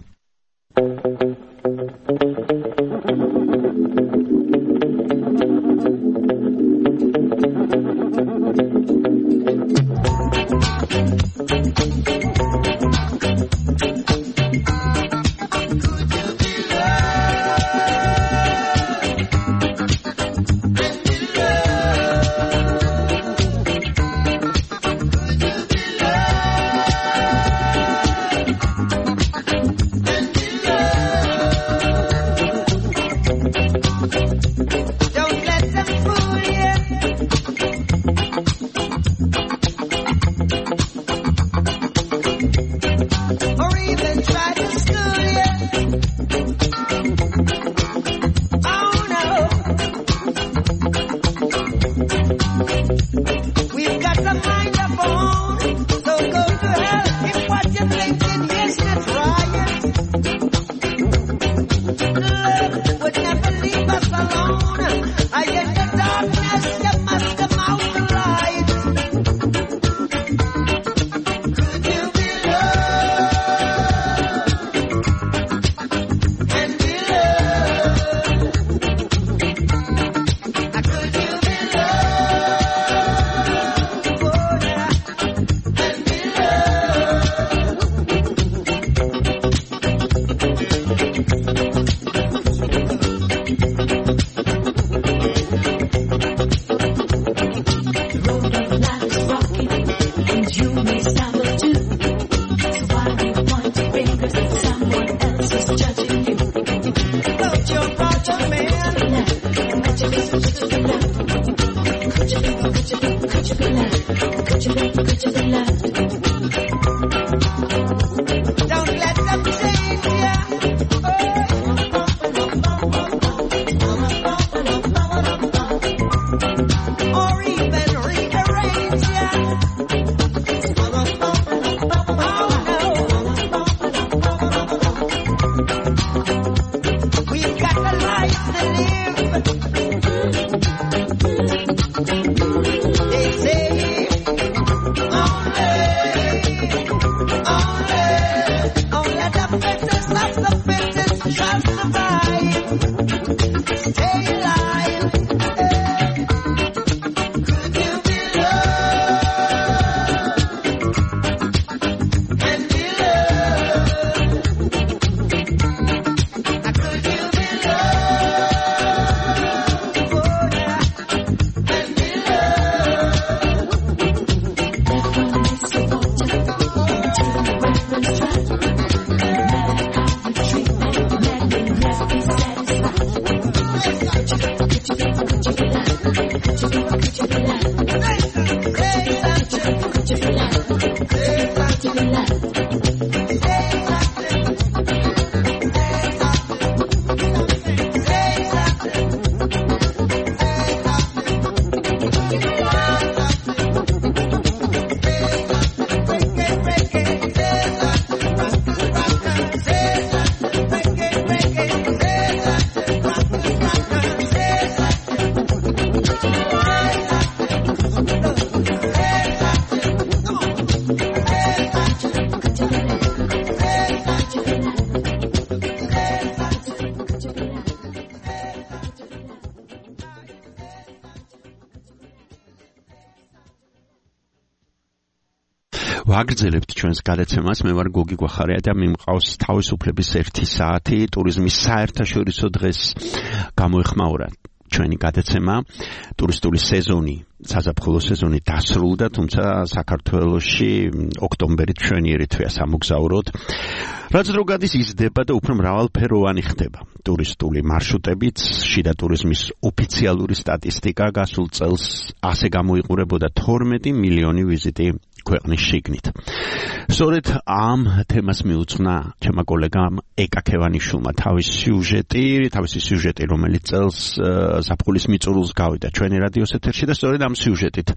body's rocking, and you may stumble too. So why do you point your fingers at someone else who's judging you? Put your brother, man. Could you be left? Could you be left? Could you be left? Don't let them change ya. Or even rearrange ya. We've got the life to live. They say only the fittest of the fittest shall survive. Stay alive. Could you be loved and be loved? Could you be loved and be ვაგრძელებთ ჩვენს გადაცემას. მე ვარ გოგი გვახარია და მიმყავს თავისუფლების 1 საათი ტურიზმის საერთაშორისო დღეს გამოეხმაურა ჩვენი გადაცემა. ტურისტული სეზონი, საზაფხულო სეზონი დასრულდა, თუმცა საქართველოში ოქტომბერი ჩვენიერი თვეა სამოგზაუროდ. რაც რო გადის იზრდება და უფრო მრავალფეროვანი ხდება. ტურისტული მარშრუტებიც, შიდა ტურიზმის ოფიციალური სტატისტიკა გასულ წელს ასე გამოიყურებოდა 12 მილიონი ვიზიტი ქვეყნის შიგნით. სწორედ ამ თემას მიუძღვნა ჩემმა კოლეგამ ეკა ქევანიშვილმა თავისი სიუჟეტი, რომელიც წელს ზაფხულის მიწურულს გავიდა ჩვენი რადიოს ეთერში და სწორედ ამ სიუჟეტით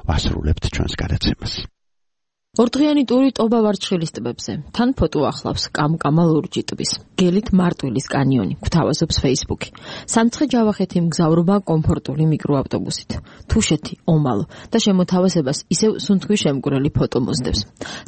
ვასრულებთ ჩვენს გადაცემას. ორდღიანი ტური ტობა ვარჩხილის ტბებზე. თან ფოტო ახლავს კამკამა ლურჯი ტბის. გელით მარტვილის კანიონი, გვთავაზობს Facebook-ი. სამცხე-ჯავახეთი მგზავრობა კომფორტული მიკროავტობუსით. თუშეთი, ომალო და შემოთავაზებას ისევ სუნთქვის შემკვრელი ფოტო მოსდევს.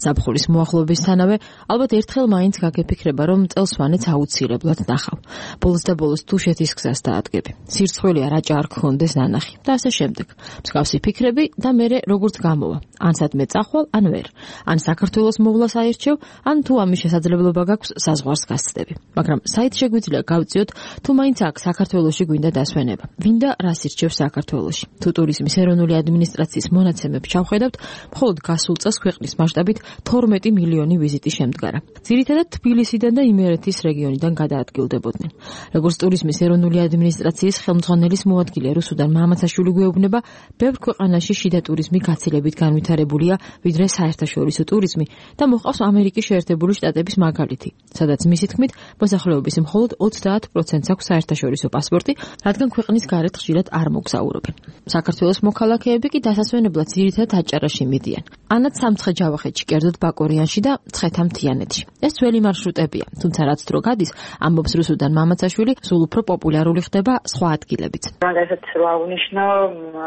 ზაფხულის მოახლოებისთანავე ალბათ ერთხელ მაინც გაგეფიქრება, რომ წელსვანეც აუცილებლად ნახავ. ბოლოს და ბოლოს თუშეთის გზას დაადგები. სირცხვილია რაჭა არ გქონდეს ნანახი და ასე შემდეგ. მსგავსი ფიქრები და მერე როგორც გამოვა. ან სადმე წახვალ, ან ვერ. ან საქართველოს მოვლას აირჩევ, ან თუ ამის შესაძლებლობა გაქვს საზღვარს გასცდები. მაგრამ საით შეგვიძლია გავწიოთ, თუ მაინც აქ საქართველოში გვინდა დასვენება. ვინდა რას ირჩევს საქართველოში? თუ ტურიზმის ეროვნული ადმინისტრაციის მონაცემებს ჩავხედავთ, მხოლოდ გასულ წელს ქვეყნის მასშტაბით 12 მილიონი ვიზიტი შემდგარა. ძირითადად თბილისიდან და იმერეთის რეგიონიდან გადაადგილდებოდნენ. როგორც ტურიზმის ეროვნული ადმინისტრაციის ხელმძღვანელის მოადგილე რუსუდან მამაცაშვილი გვეუბნება, ბევრ ქვეყანაში შიდა ტურიზმი გაცილებით განვითარებულია, ვიდრე საერთაშორისო ტურიზმი და მოყავს ამერიკის შეერთებული შტატების მაგალითი, სადაც მისი თქმით, მოსახლეობის მხოლოდ 30% აქვს საერთაშორისო პასპორტი, რადგან ქვეყნის გარეთ ხშირად არ მოგზაურობენ. საქართველოს მოქალაქეები კი დასასვენებლად ძირითადად აჭარაში მიდიან. ანაც სამცხე-ჯავახეთში, კერძოდ ბაკორიანში და ცხეთა-მთიანეთში. ეს ძველი მარშრუტებია, თუმცა რაც დრო გადის, ამბობს რუსუდან მამაცაშვილი, სულ უფრო პოპულარული ხდება სხვა ადგილებიც. მაგალითად, რა უნიშნო,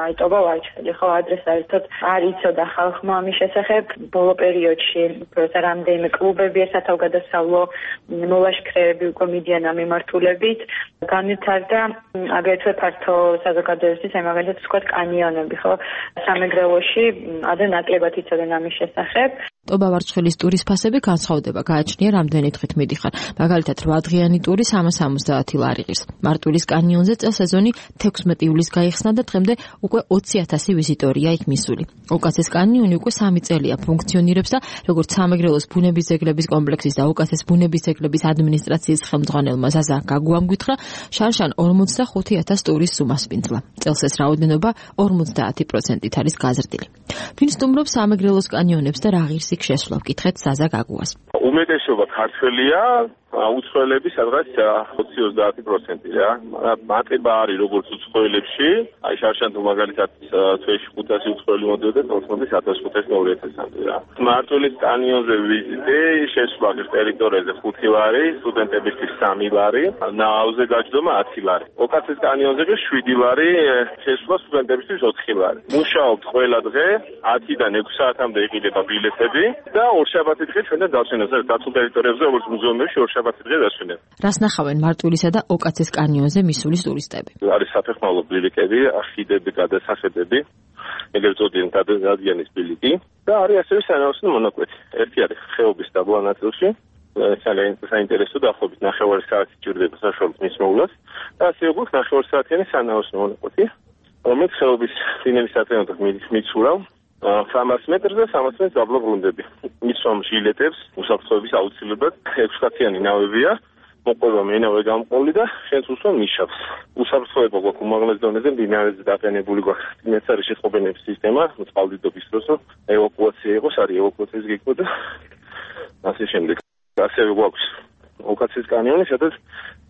აიტობა ვაჭრელი, ხო, ადრე საერთოდ არ იცოდა ხალხმა ამის შესახებ. ბოლო პერიოდში პროცესა რამდენიმე კლუბები სათავგადასავლო მოლაშქრეები უკვე მიდიან ამ მიმართულებით. განვითარდა აგრეთვე ფართო საზოგადოებისთვის, მაგალითად, ვთქვათ, კანიონები, ხო, სამეგრელოში ადრე ნაკლებად იცოდნენ ამის შესახებ. ტობა ვარცხელის ტურის ფასები განსხვავდება, გააჩნია რამდენი დღით მიდიხარ. მაგალითად 8 დღიანი ტური 370 ლარი ღირს. მარტვილის კანიონზე წელს სეზონი 16 ივლისს გაიხსნა და დღემდე უკვე 20,000 ვიზიტორია იქ მისული. ოკაცეს კანიონი უკვე 3 წელია ფუნქციონირებს და როგორც სამეგრელოს ბუნების ძეგლების კომპლექსის და ოკაცეს ბუნების ძეგლების ადმინისტრაციის ხელმძღვანელმა ზაზა გაგუამ გითხრა, შარშან 45,000 ტურის სუმას პინძლა. წელს ეს რაოდენობა 50%-ით არის გაზრდილი. ვინ სტუმრობს სამეგრელოს კანიონებს და რა ღირს იქ შესვლა, ვკითხეთ ზაზა გაგუას. უმეტესობა ქართველია, უცხოელები სადღაც 20-30% რა. მატება არის როგორც უცხოელებში, აი შარშან თუ მაგალითად თვეში 500 უცხოელი მოდიოდა, თორემ 1500-2000-მდე რა. მარტვილის კანიონზე ვიზიტი, შესვლა ტერიტორიაზე 5 ლარი, სტუდენტებისთვის 3 ლარი, ნაავზე გაჯდომა 10 ლარი. ოკაცეს კანიონზე 7 ლარი, შესვლა სტუდენტებისთვის 4 ლარი. მუშაობთ ყველა დღე 10-დან 6 საათამდე იყიდება ბილეთები და ორშაბათი დღე ჩვენთან დავსვენებთ დაცულ ტერიტორიებზე, როგორც მუზეუმებში ორშაბათი დღე დავსვენებთ. რას ნახავენ მარტვილისა და ოკაცეს კანიონზე მისულის ტურისტები? არის საფეხმავლო ბილიკები, ხიდები, გადასახედები, ეგრეთ წოდებული დადიანის ბილიკი და არის ასევე სანაოსნო მონაკვეთი. ერთი არის ხეობის დაბლა ნაწილში, საინტერესო დაახლოებით 9 საათი ჭირდება საშუალო მის მოვლას და ასევე გვაქვს 9 საათიანი სანაოსნო მონაკვეთი, რომელიც ხეობის წინების საწენოდან მიცურავს 300 მეტრზე 300 მეტრს დაბლა ბრუნდები. მისვამ ჟილეტებს, უსაფრთხოების აუცილებლად 6 კაციანი ნავებია, მოყვება მენავე გამყოლი და შენს უსვამ ნიშავს. უსაფრთხოება გვაქვს უმაღლეს დონეზე, მდინარეზე დაყენებული გვაქვს წინასწარი შეწყობინების სისტემა, წყალდიდობის დროს ევაკუაცია იყოს, არის ევაკუაციის გეგმა და ასე შემდეგ. ასევე გვაქვს ოკაცის კანიონი, სადაც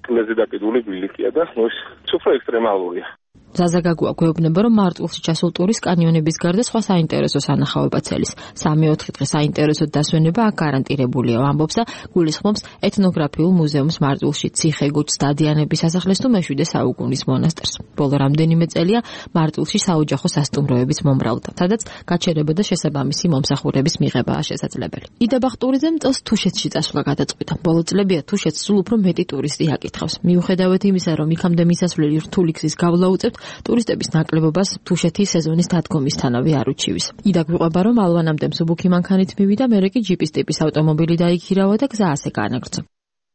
კლეზე დაკიდული ბილიკია და ეს უფრო ექსტრემალურია. ზაზა გაგუა გვეუბნება, რომ მარტვილში ჩასულ ტურის კანიონების გარდა სხვა საინტერესო სანახაობა ცელის. 3-4 დღე საინტერესოდ დასვენება აქ გარანტირებულია, ამბობს და გულისხმობს ეთნოგრაფიულ მუზეუმს მარტვილში, ციხე-გუჩს, დადიანების სასახლეს თუ მე-7 საუკუნის მონასტერს. ბოლო რამდენიმე წელია მარტვილში საოჯახო სასტუმროების მომრავლდა, სადაც გაჩერება და შესაბამისი მომსახურების მიღებაა შესაძლებელი. იდაბახ ტურიზმ წელს თუშეთში წასვლა გადაწყვიტა. ბოლო წლებია თუშეთს სულ უფრო მეტი ტურისტი აკითხავს. მიუხედავად იმისა, რომ იქამდე მისასვლელი რთული გზის გავლა უწევთ, ტურისტების ნაკლებობას თუშეთის სეზონის დადგომისთანავე არ უჩივის. იდა გვიყვება, რომ ალვანამდე მსუბუქი მანქანით მივიდა, მერე კი ჯიპის ტიპის ავტომობილი დაიქირავა და გზა ასე განაგრძო.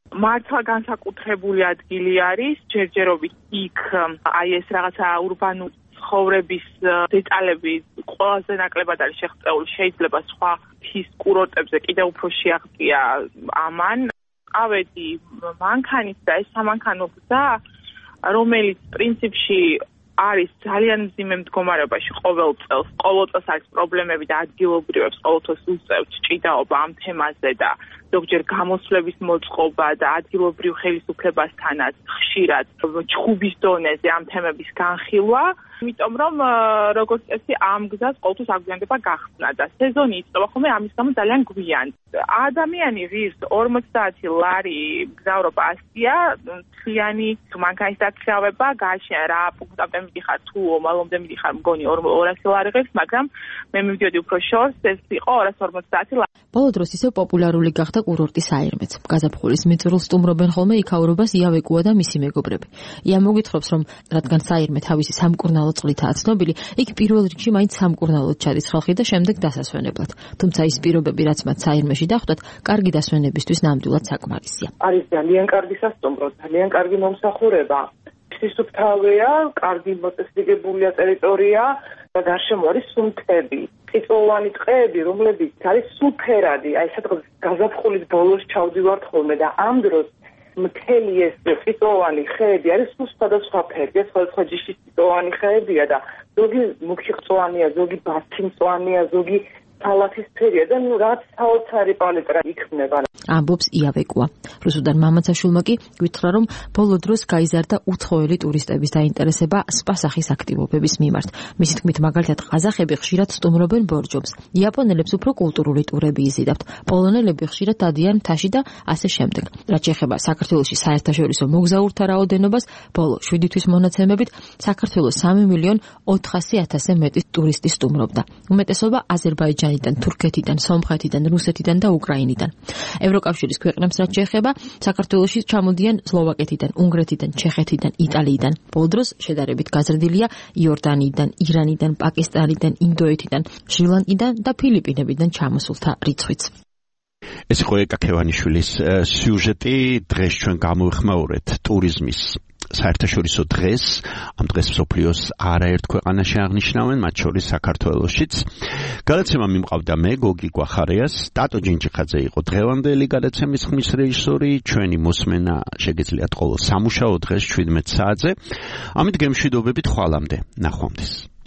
მართლა განსაკუთრებული ადგილი არის, ჯერჯერობით იქ აი ეს რაღაცა ურბანული ცხოვრების დეტალები ყველაზე ნაკლებად არის შეღწეული, შეიძლება სხვა თის კურორტებზე კიდევ უფრო შეაღწია ამან. ავედი მანქანით და ეს სამანქანო გზა, რომელიც პრინციპში არის ძალიან მძიმე მდგომარეობაში ყოველ წელს არის პრობლემები და ადგილობრივებს ყოველთვის უწევთ ჭიდაობა ამ თემაზე და ზოგჯერ გამოსვლების მოწყობა და ადგილობრივ ხელისუფლებასთანაც ხშირად ჩხუბის დონეზე ამ თემების განხილვა, იმიტომ რომ როგორც წესი ამ გზას ყოველთვის აგვიანდება გახსნა და სეზონი იწყება ხოლმე ამის გამო ძალიან გვიან. ადამიანი ღირს 40 ლარი გზავრობა ასია, თლიანი მანქანის დაქირავება, გააჩნია რა პუნქტამდე მიდიხარ თუ ომალომდე მიდიხარ, მგონი 200 ლარი ღირს, მაგრამ მე მივდიოდი უფრო შორს, ეს იყო 250 ლარი. ბოლო დროს ისევ პოპულარული გახდა კურორტი საირმეც. გაზაფხულის მიწურულს სტუმრობენ ხოლმე იქაურობას იავეკუა და მისი მეგობრები. ია მოგითხრობს, რომ რადგან საირმე თავისი სამკურნალო წყლითაა ცნობილი, იქ პირველ რიგში მაინც სამკურნალოდ ჩადის ხალხი და შემდეგ დასასვენებლად. თუმცა ის პირობები, რაც მათ საირმეში დახვდათ, კარგი დასვენებისთვის ნამდვილად საკმარისია. არის ძალიან კარგი სასტუმრო, ძალიან კარგი მომსახურება. სისუფთავეა, კარგი მოწესრიგებულია ტერიტორია და გარშემო არის სუნთები. წიწვოვანი ტყეები, რომლებიც არის სუფერადი, აი სადღაც გაზაფხულის ბოლოს ჩავდივართ ხოლმე და ამ დროს მთელი ეს წიწვოვანი ხეები არის სულ სხვადასხვა ფერია, სხვადასხვა ჯიშის წიწვოვანი ხეებია და ზოგი მუქწვანია, ზოგი ბათქიმწვანია, ზოგი თალათისფერია და რაც საოცარი პალეტრა იქმნება. ამბობს იავეკუა. რუსუდან მამაცაშვილმა კი გითხრა, რომ ბოლო დროს გაიზარდა უცხოელი ტურისტების დაინტერესება სპა-სახის აქტივობების მიმართ. მისი თქმით, მაგალითად, ყაზახები ხშირად სტუმრობენ ბორჯომს. იაპონელებს უფრო კულტურული ტურები იზიდავთ. პოლონელები ხშირად დადიან მთაში და ასე შემდეგ. რაც შეეხება საქართველოში საერთაშორისო მოგზაურთა რაოდენობას, ბოლო 7 თვის მონაცემებით საქართველოს 3,400,000 მეტი ტურისტი სტუმრობდა. უმეტესობა აზერბაიჯანელი აზერბაიჯანიდან, თურქეთიდან, სომხეთიდან, რუსეთიდან და უკრაინიდან. ევროკავშირის ქვეყნებს რაც შეეხება, საქართველოში ჩამოდიან სლოვაკეთიდან, უნგრეთიდან, ჩეხეთიდან, იტალიიდან. ბოლო დროს შედარებით გაზრდილია იორდანიიდან, ირანიდან, პაკისტანიდან, ინდოეთიდან, შრი-ლანკიდან და ფილიპინებიდან ჩამოსულთა რიცხვიც. ეს იყო ეკა ქევანიშვილის სიუჟეტი. დღეს ჩვენ გამოვიხმაურეთ ტურიზმის საერთაშორისო დღეს. ამ დღეს მსოფლიოს არაერთ ქვეყანაში აღნიშნავენ, მათ შორის საქართველოშიც. გადაცემა მიმყავდა მე, გოგი გვახარიას, ტატო ჯინჯიხაძე იყო დღევანდელი გადაცემის ხმის რეჟისორი. ჩვენი მოსმენა შეგეძლიათ ყოველ სამუშაო დღეს 17 საათზე. ამით გემშვიდობებით ხვალამდე. ნახვამდის.